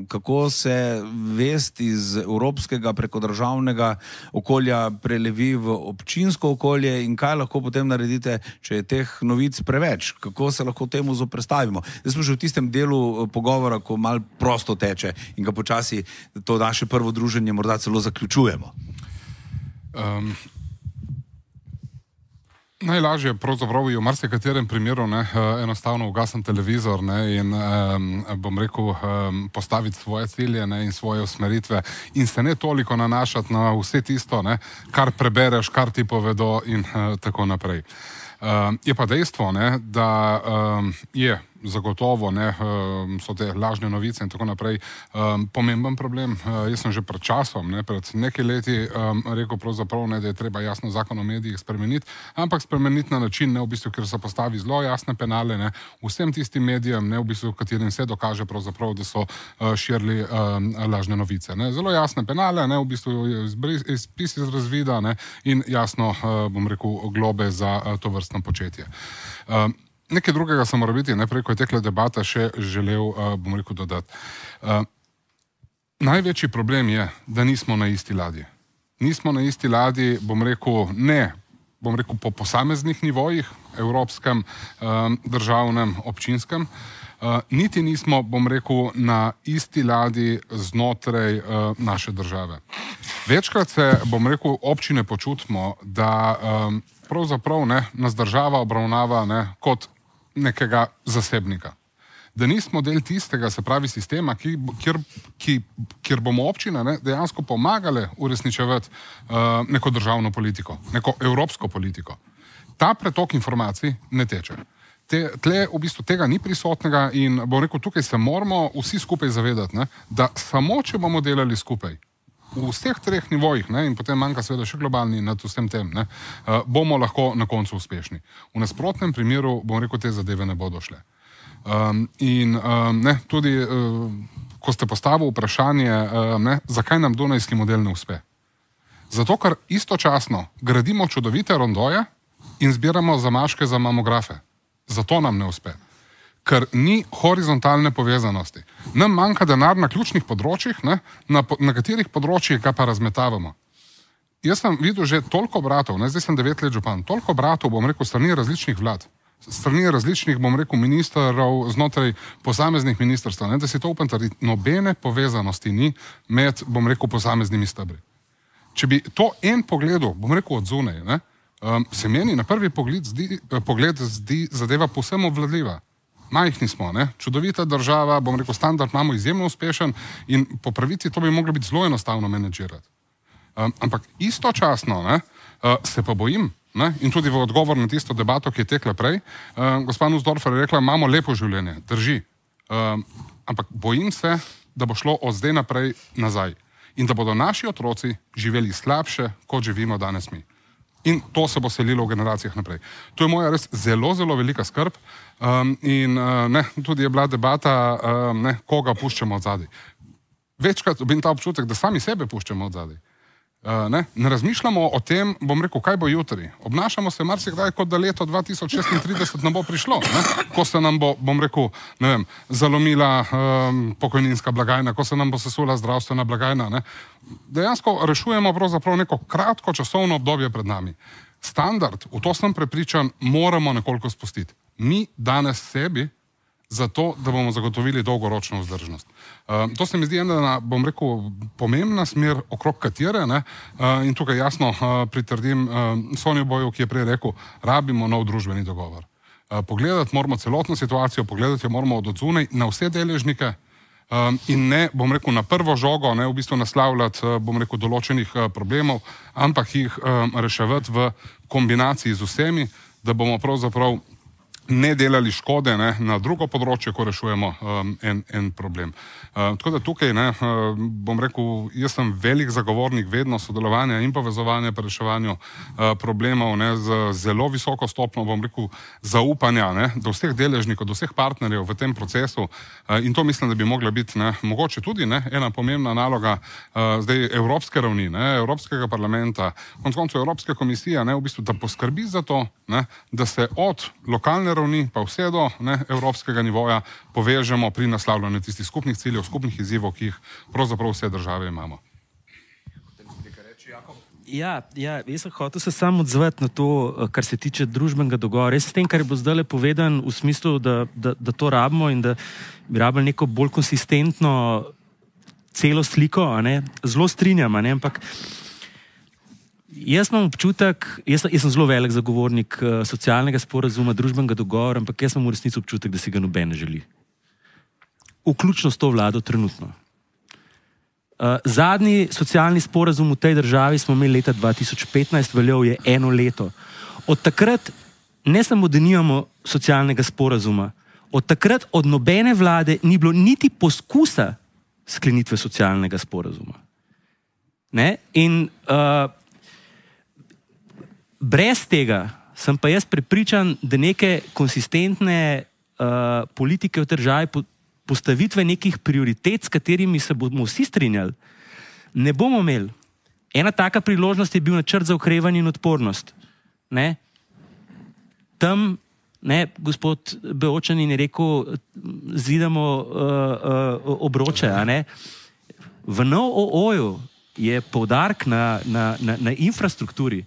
Kako se vest iz evropskega preko državnega okolja prelevi v občinsko okolje in kaj lahko potem naredite, če je teh novic preveč? Kako se lahko temu zoperstavimo? Zdaj smo že v tistem delu pogovora, ko malo prosto teče in ga počasi to naše naše prvo druženje morda celo zaključujemo. Najlažje pravzaprav je v marsikaterem primeru enostavno ugasniti televizor in bom rekel postaviti svoje cilje in svoje usmeritve in se ne toliko nanašati na vse tisto, kar prebereš, kar ti povedo in tako naprej. Je pa dejstvo, da je zagotovo, so te lažne novice in tako naprej pomemben problem. Jaz sem že pred časom, pred nekaj leti rekel pravzaprav, da je treba jasno zakon o medijih spremeniti, ampak spremeniti na način, v bistvu, ker se postavi zelo jasne penale, vsem tistim medijem, v bistvu, katerim se dokaže pravzaprav, da so širili lažne novice. Zelo jasne penale, v bistvu izpis iz razvida in jasno, bom rekel, globe za to vrstno početje. Nekaj drugega sem moral biti, najprej, ko je tekla debata, še želel, bom rekel, dodati. Največji problem je, da nismo na isti ladji. Nismo na isti ladji, bom rekel, po posameznih nivojih, evropskem, državnem, občinskem, niti nismo, bom rekel, na isti ladji znotraj naše države. Večkrat se, bom rekel, občine počutimo, da pravzaprav nas država obravnava kot nekega zasebnika. Da nismo del tistega, se pravi sistema, kjer bomo občine dejansko pomagale uresničevati neko državno politiko, neko evropsko politiko. Ta pretok informacij ne teče. Tle v bistvu tega ni prisotnega in bom rekel, tukaj se moramo vsi skupaj zavedati, da samo če bomo delali skupaj, v vseh treh nivojih, in potem manjka seveda še globalni nad vsem tem, bomo lahko na koncu uspešni. V nasprotnem primeru, bom rekel, te zadeve ne bodo šle. Tudi, ko ste postavili vprašanje, zakaj nam dunajski model ne uspe. Zato, ker istočasno gradimo čudovite rondoje in zbiramo zamaške za mamografe. Zato nam ne uspe. Ker ni horizontalne povezanosti. Nam manjka denar na ključnih področjih, na katerih področjih ga pa razmetavamo. Jaz sem videl že toliko bratov, zdaj sem 9 let župan, toliko bratov, bom rekel, strani različnih vlad, strani različnih, bom rekel, ministrov znotraj posameznih ministrstv, da si to upam trditi, nobene povezanosti ni med, bom rekel, posameznimi stebri. Če bi to en pogledal, bom rekel, od zunaj, se meni na prvi pogled zdi zadeva povsem obvladljiva. Majhni smo, čudovita država, bom rekel, standard imamo izjemno uspešen in po pravici to bi moglo biti zelo enostavno menedžirati. Ampak istočasno se pa bojim, in tudi v odgovor na tisto debato, ki je tekla prej, gospa Nussdorfer je rekla, imamo lepo življenje, drži. Ampak bojim se, da bo šlo od zdaj naprej nazaj in da bodo naši otroci živeli slabše, kot živimo danes mi. In to se bo selilo v generacijah naprej. To je moja res zelo, zelo velika skrb in tudi je bila debata, koga puščamo od zadaj. Večkrat dobim ta občutek, da sami sebe puščamo od zadaj. Ne razmišljamo o tem, bom rekel, kaj bo jutri. Obnašamo se marsikdaj, kot da leto 2036 nam bo prišlo, ko se nam bo, bom rekel, zalomila pokojninska blagajna, ko se nam bo sesula zdravstvena blagajna. Dejansko rešujemo pravzaprav neko kratko časovno obdobje pred nami. Standard, v to sem prepričan, moramo nekoliko spustiti. Mi danes sebi zato, da bomo zagotovili dolgoročno vzdržnost. To se mi zdi ena, bom rekel, pomembna smer, okrog katere, in tukaj jasno pritrdim Sonju Boju, ki je prej rekel, rabimo nov družbeni dogovor. Pogledati moramo celotno situacijo, pogledati jo moramo od odzunaj na vse deležnike in ne, bom rekel, na prvo žogo, v bistvu naslavljati, bom rekel, določenih problemov, ampak jih reševati v kombinaciji z vsemi, da bomo pravzaprav ne delali škode na drugo področje, ko rešujemo en problem. Tako da tukaj, bom rekel, jaz sem velik zagovornik vedno sodelovanja in povezovanja pri reševanju problemov z zelo visoko stopnjo, bom rekel, zaupanja do vseh deležnikov, do vseh partnerjev v tem procesu in to mislim, da bi mogla biti mogoče tudi ena pomembna naloga zdaj evropske ravni, Evropskega parlamenta, konec koncev Evropske komisije, v bistvu, da poskrbi za to, da se od lokalne ravni pa vse do evropskega nivoja povežemo pri naslavljanju tistih skupnih ciljev, skupnih izzivov, ki jih pravzaprav vse države imamo. Ja, jaz sem hotel se samo odzvati na to, kar se tiče družbenega dogovora. Jaz s tem, kar je bo zdaj povedan v smislu, da to rabimo in da bi rabili neko bolj konsistentno celo sliko, a ne, zelo strinjam, a ne, ampak jaz imam občutek, jaz sem zelo velik zagovornik socialnega sporazuma, družbenega dogovora, ampak jaz imam v resnici občutek, da si ga noben ne želi. Vključno s to vlado trenutno. Zadnji socialni sporazum v tej državi smo imeli leta 2015, veljal je 1 leto. Od takrat ne samo, da nimamo socialnega sporazuma, od takrat od nobene vlade ni bilo niti poskusa sklenitve socialnega sporazuma. Ne? In brez tega sem pa jaz prepričan, da neke konsistentne politike v državi, postavitve nekih prioritet, s katerimi se bomo vsi strinjali, ne bomo imeli. Ena taka priložnost je bil načrt za okrevanje in odpornost. Ne? Tam, ne, gospod Beočanin je rekel, zidamo obroče. A ne? V NOO-ju je poudarek na infrastrukturi,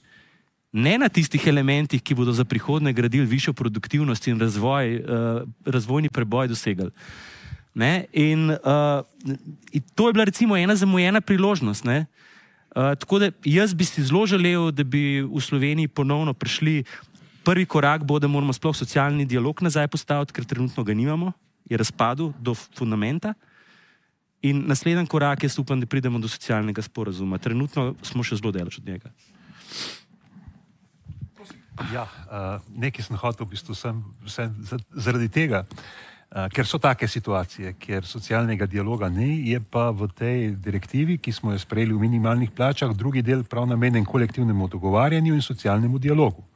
ne na tistih elementih, ki bodo za prihodnje gradili višjo produktivnost in razvojni preboj dosegali. Ne? In to je bila recimo ena zamujena priložnost. Ne? Tako da jaz bi si zelo želel, da bi v Sloveniji ponovno prišli. Prvi korak bo, da moramo sploh socialni dialog nazaj postaviti, ker trenutno ga nimamo, je razpadel do fundamenta. In naslednji korak, jaz upam, da pridemo do socialnega sporazuma. Trenutno smo še zelo daleč od njega. Ja, nekaj sem hotel v bistvu zaradi tega, ker so take situacije, kjer socialnega dialoga ni, je pa v tej direktivi, ki smo jo sprejeli v minimalnih plačah, drugi del prav namenjen kolektivnemu dogovarjanju in socialnemu dialogu.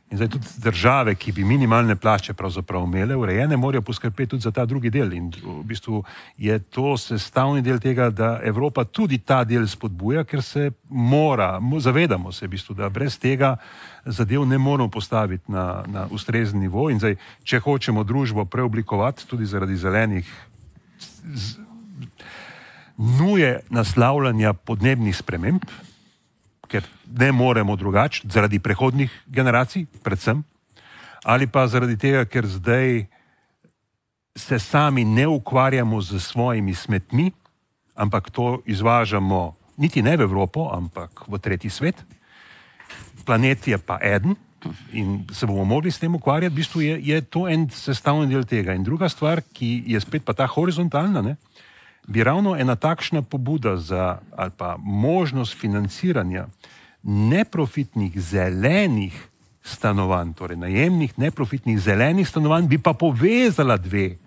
In zdaj tudi države, ki bi minimalne plače pravzaprav imele urejene, morajo poskrbeti tudi za ta drugi del. In v bistvu je to sestavni del tega, da Evropa tudi ta del spodbuja, ker se zavedamo se v bistvu, da brez tega zadev ne moramo postaviti na ustrezen nivo. In zdaj, če hočemo družbo preoblikovati, tudi zaradi zelenih nuje naslavljanja podnebnih sprememb, ker ne moremo drugače, zaradi prehodnih generacij, predvsem, ali pa zaradi tega, ker zdaj se sami ne ukvarjamo z svojimi smetmi, ampak to izvažamo niti ne v Evropo, ampak v tretji svet. Planet je pa eden in se bomo mogli s tem ukvarjati. V bistvu je to en sestavni del tega. In druga stvar, ki je spet pa ta horizontalna, ne, bi ravno ena takšna pobuda ali pa možnost financiranja neprofitnih zelenih stanovanj, torej najemnih neprofitnih zelenih stanovanj, bi pa povezala dve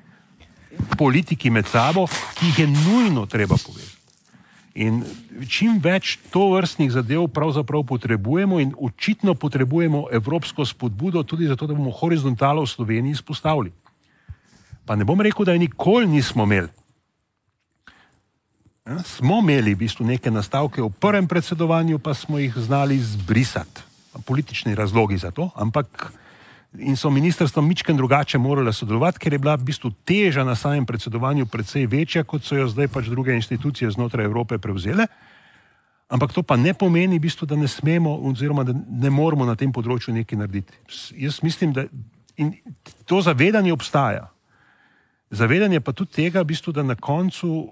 politiki med sabo, ki jih je nujno treba povezati. In čim več tovrstnih zadev pravzaprav potrebujemo in očitno potrebujemo evropsko spodbudo tudi zato, da bomo horizontalo v Sloveniji izpostavili. Pa ne bom rekel, da je nikoli nismo imeli. Smo imeli v bistvu neke nastavke v prvem predsedovanju, pa smo jih znali zbrisati. Politični razlogi za to, ampak in so ministrstva mičken drugače morala sodelovati, ker je bila v bistvu teža na samem predsedovanju precej večja, kot so jo zdaj pač druge institucije znotraj Evrope prevzele. Ampak to pa ne pomeni v bistvu, da ne smemo oziroma da ne moramo na tem področju nekaj narediti. Jaz mislim, da in to zavedanje obstaja. Zavedanje pa tudi tega, v bistvu, da na koncu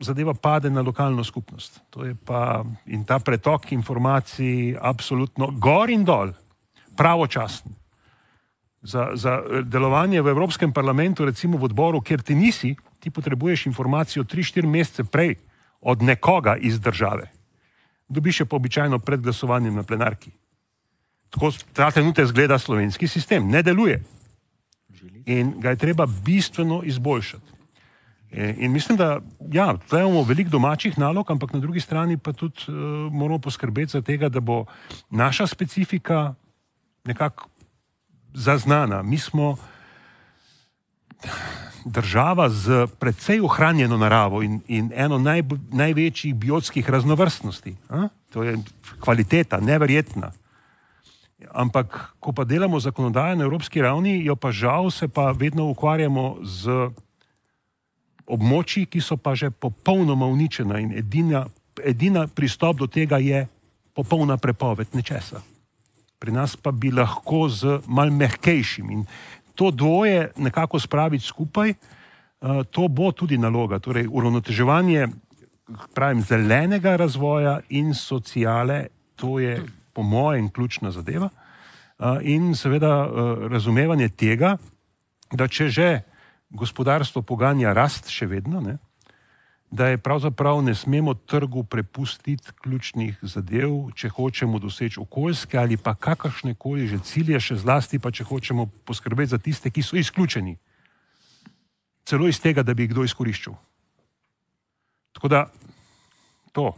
zadeva pade na lokalno skupnost. To je pa in ta pretok informacij absolutno gor in dol, pravočasen. Za delovanje v Evropskem parlamentu, recimo v odboru, kjer ti nisi, ti potrebuješ informacijo 3-4 mesece prej od nekoga iz države. Dobiš je pa običajno pred glasovanjem na plenarki. Tako ta trenutek zgleda slovenski sistem. Ne deluje. In ga je treba bistveno izboljšati. In mislim, da ja, tukaj imamo veliko domačih nalog, ampak na drugi strani pa tudi moramo poskrbeti za tega, da bo naša specifika nekako zaznana. Mi smo država z precej ohranjeno naravo in eno največjih biotskih raznovrstnosti. To je kvaliteta, neverjetna. Ampak, ko pa delamo zakonodajo na evropski ravni, jo pa žal se pa vedno ukvarjamo z območji, ki so pa že popolnoma uničena in edina pristop do tega je popolna prepoved nečesa. Pri nas pa bi lahko z malo mehkejšim in to dvoje nekako spraviti skupaj, to bo tudi naloga. Torej, uravnoteževanje pravim, zelenega razvoja in sociale, to je po mojem ključna zadeva. In seveda razumevanje tega, da če že gospodarstvo poganja rast še vedno, ne, da je pravzaprav ne smemo trgu prepustiti ključnih zadev, če hočemo doseči okoljske ali pa kakršne koli že cilje, še zlasti pa če hočemo poskrbeti za tiste, ki so izključeni. Celo iz tega, da bi jih kdo izkoriščal. Tako da, to.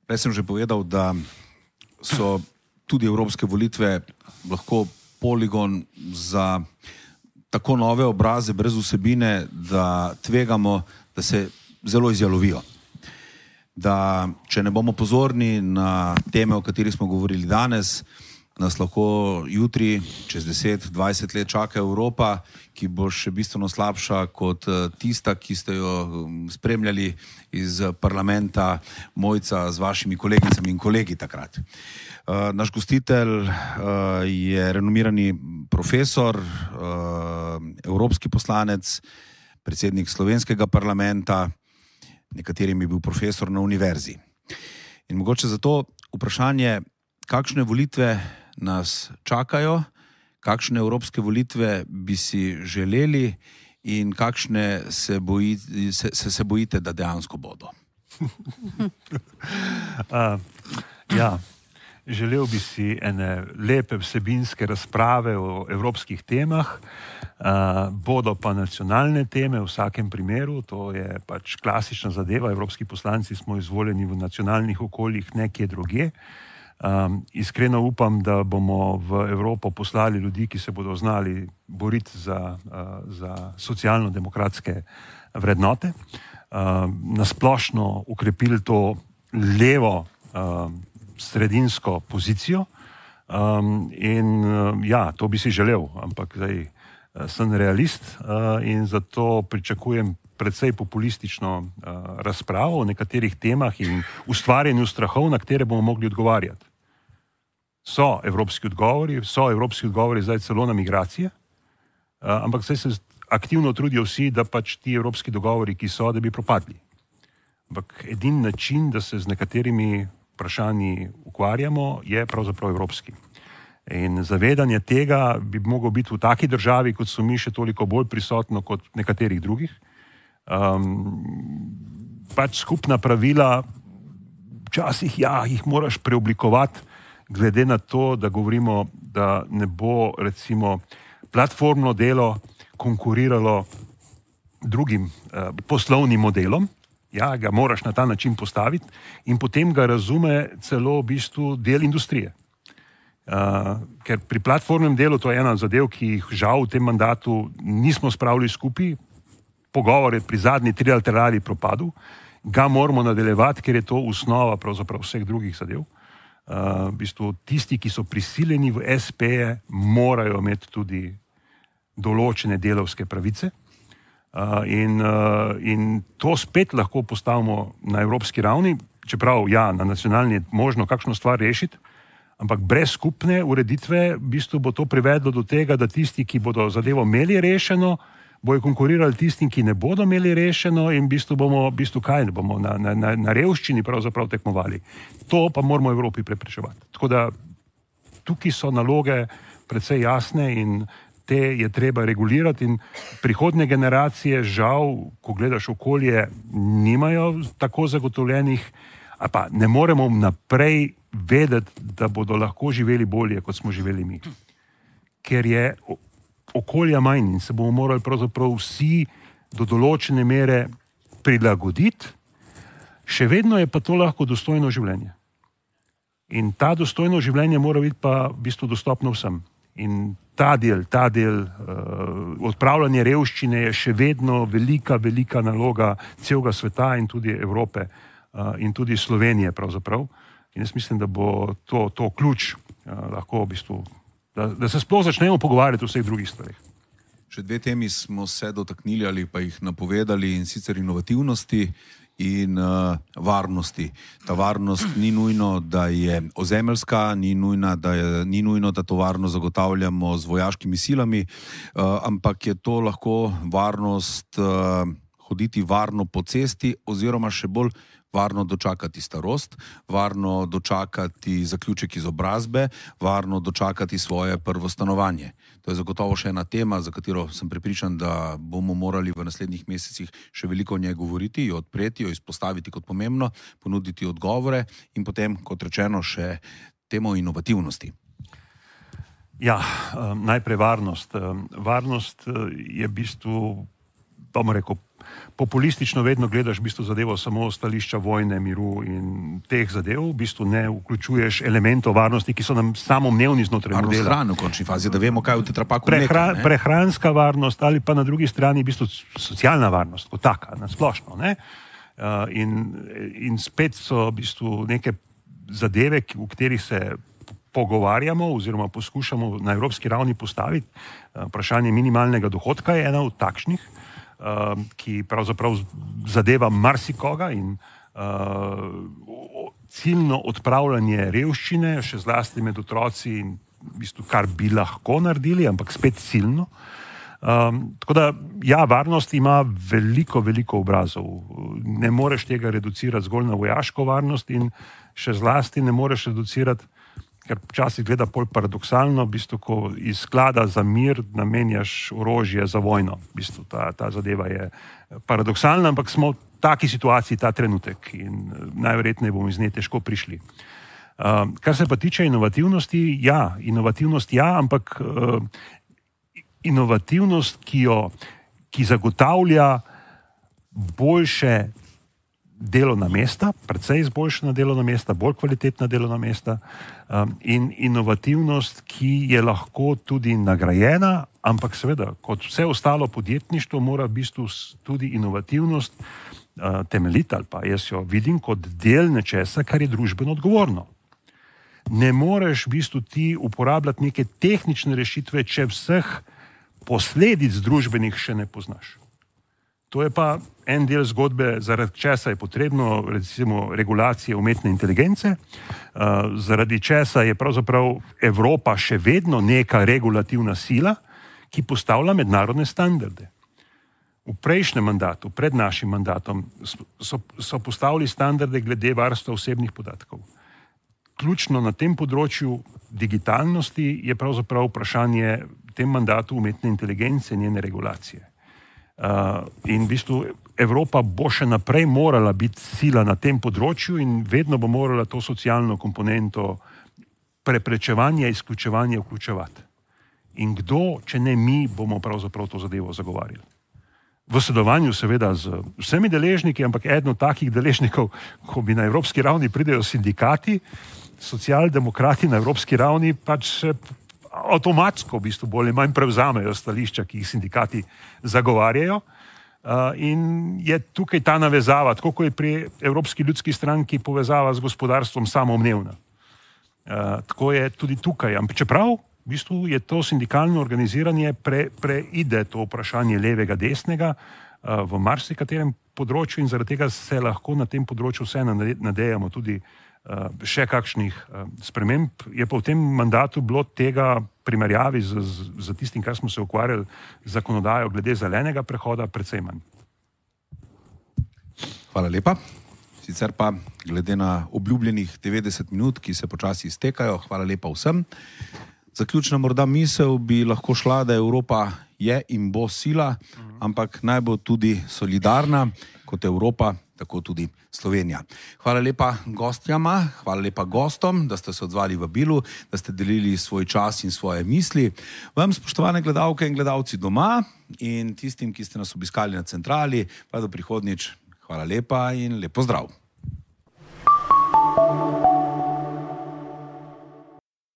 Jaz sem že povedal, da so tudi evropske volitve lahko poligon za tako nove obraze brez vsebine, da tvegamo, da se zelo izjalovijo. Da če ne bomo pozorni na teme, o katerih smo govorili danes, nas lahko jutri, čez 10-20 let čaka Evropa, ki bo še bistveno slabša kot tista, ki ste jo spremljali iz parlamenta Mojca z vašimi kolegicami in kolegi takrat. Naš gostitelj je renomirani profesor, evropski poslanec, predsednik slovenskega parlamenta, nekaterim je bil profesor na univerzi. In mogoče zato vprašanje, kakšne volitve nas čakajo, kakšne evropske volitve bi si želeli in kakšne se bojite, da dejansko bodo? Ja. Želel bi si ene lepe vsebinske razprave o evropskih temah, bodo pa nacionalne teme v vsakem primeru, to je pač klasična zadeva, evropski poslanci smo izvoljeni v nacionalnih okoljih nekje drugje. Iskreno upam, da bomo v Evropo poslali ljudi, ki se bodo znali boriti za socialno-demokratske vrednote, nasplošno ukrepili to levo sredinsko pozicijo in ja, to bi si želel, ampak zdaj sem realist in zato pričakujem predvsej populistično razpravo o nekaterih temah in ustvarjanju strahov, na katere bomo mogli odgovarjati. So evropski odgovori zdaj celo na migracije, ampak zdaj se aktivno trudijo vsi, da pač ti evropski dogovori, ki so, da bi propadli. Ampak edini način, da se z nekaterimi vprašanji ukvarjamo, je pravzaprav evropski. In zavedanje tega bi moglo biti v taki državi, kot so mi, še toliko bolj prisotno kot nekaterih drugih. Pač skupna pravila, včasih ja, jih moraš preoblikovati, glede na to, da govorimo, da ne bo recimo platformno delo konkuriralo drugim poslovnim modelom. Ja, ga moraš na ta način postaviti in potem ga razume celo v bistvu del industrije. Ker pri platformnem delu, to je ena zadev, ki jih žal v tem mandatu nismo spravili skupaj, pogovor je pri zadnji trilaterali propadel, ga moramo nadaljevati, ker je to osnova pravzaprav vseh drugih zadev. V bistvu tisti, ki so prisiljeni v SP-je, morajo imeti tudi določene delavske pravice. In to spet lahko postavimo na evropski ravni, čeprav ja, na nacionalni je možno kakšno stvar rešiti, ampak brez skupne ureditve v bistvu bo to privedlo do tega, da tisti, ki bodo zadevo imeli rešeno, bojo konkurirali tistim, ki ne bodo imeli rešeno in v bistvu bomo na revščini pravzaprav tekmovali. To pa moramo v Evropi preprečevati. Tako da tukaj so naloge precej jasne in te je treba regulirati in prihodnje generacije žal, ko gledaš okolje, nimajo tako zagotovljenih, a pa ne moremo naprej vedeti, da bodo lahko živeli bolje, kot smo živeli mi. Ker je okolja manj in se bomo morali pravzaprav vsi do določene mere prilagoditi, še vedno je pa to lahko dostojno življenje. In ta dostojno življenje mora biti pa v bistvu dostopno vsem. In ta del odpravljanje revščine je še vedno velika naloga celega sveta in tudi Evrope in tudi Slovenije pravzaprav. In jaz mislim, da bo to ključ lahko v bistvu, da se sploh začnemo pogovarjati o vseh drugih stvarih. Še dve temi smo se dotaknili ali pa jih napovedali, in sicer inovativnosti in varnosti. Ta varnost ni nujno, da je ozemeljska, ni nujno, da to varnost zagotavljamo z vojaškimi silami, ampak je to lahko varnost hoditi varno po cesti oziroma še bolj varno dočakati starost, varno dočakati zaključek izobrazbe, varno dočakati svoje prvo stanovanje. To je zagotovo še ena tema, za katero sem prepričan, da bomo morali v naslednjih mesecih še veliko o njej govoriti, jo odpreti, jo izpostaviti kot pomembno, ponuditi odgovore in potem, kot rečeno, še temo inovativnosti. Ja, najprej varnost. Varnost je v bistvu, bomo rekel, populistično vedno gledaš v bistvu zadevo samo stališča vojne, miru in teh zadev, v bistvu ne vključuješ elementov varnosti, ki so nam samoumevni znotraj modela. Varnost hrane v končni fazi, da vemo, kaj v tetrapaku prehranska varnost ali pa na drugi strani v bistvu socialna varnost, kot taka, na splošno. Ne? In spet so v bistvu neke zadeve, v katerih se pogovarjamo oziroma poskušamo na evropski ravni postaviti. Vprašanje minimalnega dohodka je ena od takšnih, ki pravzaprav zadeva marsikoga in ciljno odpravljanje revščine, še zlasti med otroci in v bistvu kar bi lahko naredili, ampak spet ciljno. Tako da, ja, varnost ima veliko obrazov. Ne moreš tega reducirati zgolj na vojaško varnost in še zlasti ne moreš reducirati, ker včasih gleda pol paradoksalno, v bistvu, ko iz sklada za mir namenjaš orožje za vojno. V bistvu ta zadeva je paradoksalna, ampak smo v taki situaciji ta trenutek in najverjetneje bomo iz nje težko prišli. Kar se pa tiče inovativnosti, inovativnost ampak inovativnost, ki zagotavlja boljše delovna mesta, precej izboljšana delovna mesta, bolj kvalitetna delovna mesta in inovativnost, ki je lahko tudi nagrajena, ampak seveda, kot vse ostalo podjetništvo, mora v bistvu tudi inovativnost temeljiti, ali pa jaz jo vidim kot del nečesa, kar je družbeno odgovorno. Ne moreš v bistvu ti uporabljati neke tehnične rešitve, če vseh posledic družbenih še ne poznaš. To je pa en del zgodbe, zaradi česa je potrebno, recimo, regulacije umetne inteligence, zaradi česa je pravzaprav Evropa še vedno neka regulativna sila, ki postavlja mednarodne standarde. V prejšnjem mandatu, pred našim mandatom, so postavili standarde glede varstva osebnih podatkov. Ključno na tem področju digitalnosti je pravzaprav vprašanje v tem mandatu umetne inteligence in njene regulacije. In v bistvu Evropa bo še naprej morala biti sila na tem področju in vedno bo morala to socialno komponento preprečevanja, izključevanja vključevati. In kdo, če ne mi, bomo pravzaprav to zadevo zagovarjali. V sodelovanju seveda z vsemi deležniki, ampak eden od takih deležnikov, ko bi na evropski ravni pridejo sindikati, socialdemokrati na evropski ravni pač avtomatsko v bistvu bolj ali manj prevzamejo stališča, ki jih sindikati zagovarjajo. In je tukaj ta navezava, tako kot je pri Evropski ljudski stranki povezava z gospodarstvom samoumevna. Tako je tudi tukaj. Čeprav v bistvu je to sindikalno organiziranje preide to vprašanje levega, desnega v marsikaterem področju in zaradi tega se lahko na tem področju vse nadejamo tudi še kakšnih sprememb. Je pa v tem mandatu bilo tega primerjavi z tistim, kar smo se ukvarjali z zakonodajo glede zelenega prehoda, precej manj. Hvala lepa. Sicer pa glede na obljubljenih 90 minut, ki se počasi iztekajo, hvala lepa vsem. Zaključna morda misel bi lahko šla, da Evropa je in bo sila, ampak naj bo tudi solidarna kot Evropa, tako tudi Slovenija. Hvala lepa gostjama, hvala lepa gostom, da ste se odzvali vabilu, da ste delili svoj čas in svoje misli. Vam, spoštovane gledalke in gledalci doma in tistim, ki ste nas obiskali na centrali, pa do prihodnjič. Hvala lepa in lep pozdrav.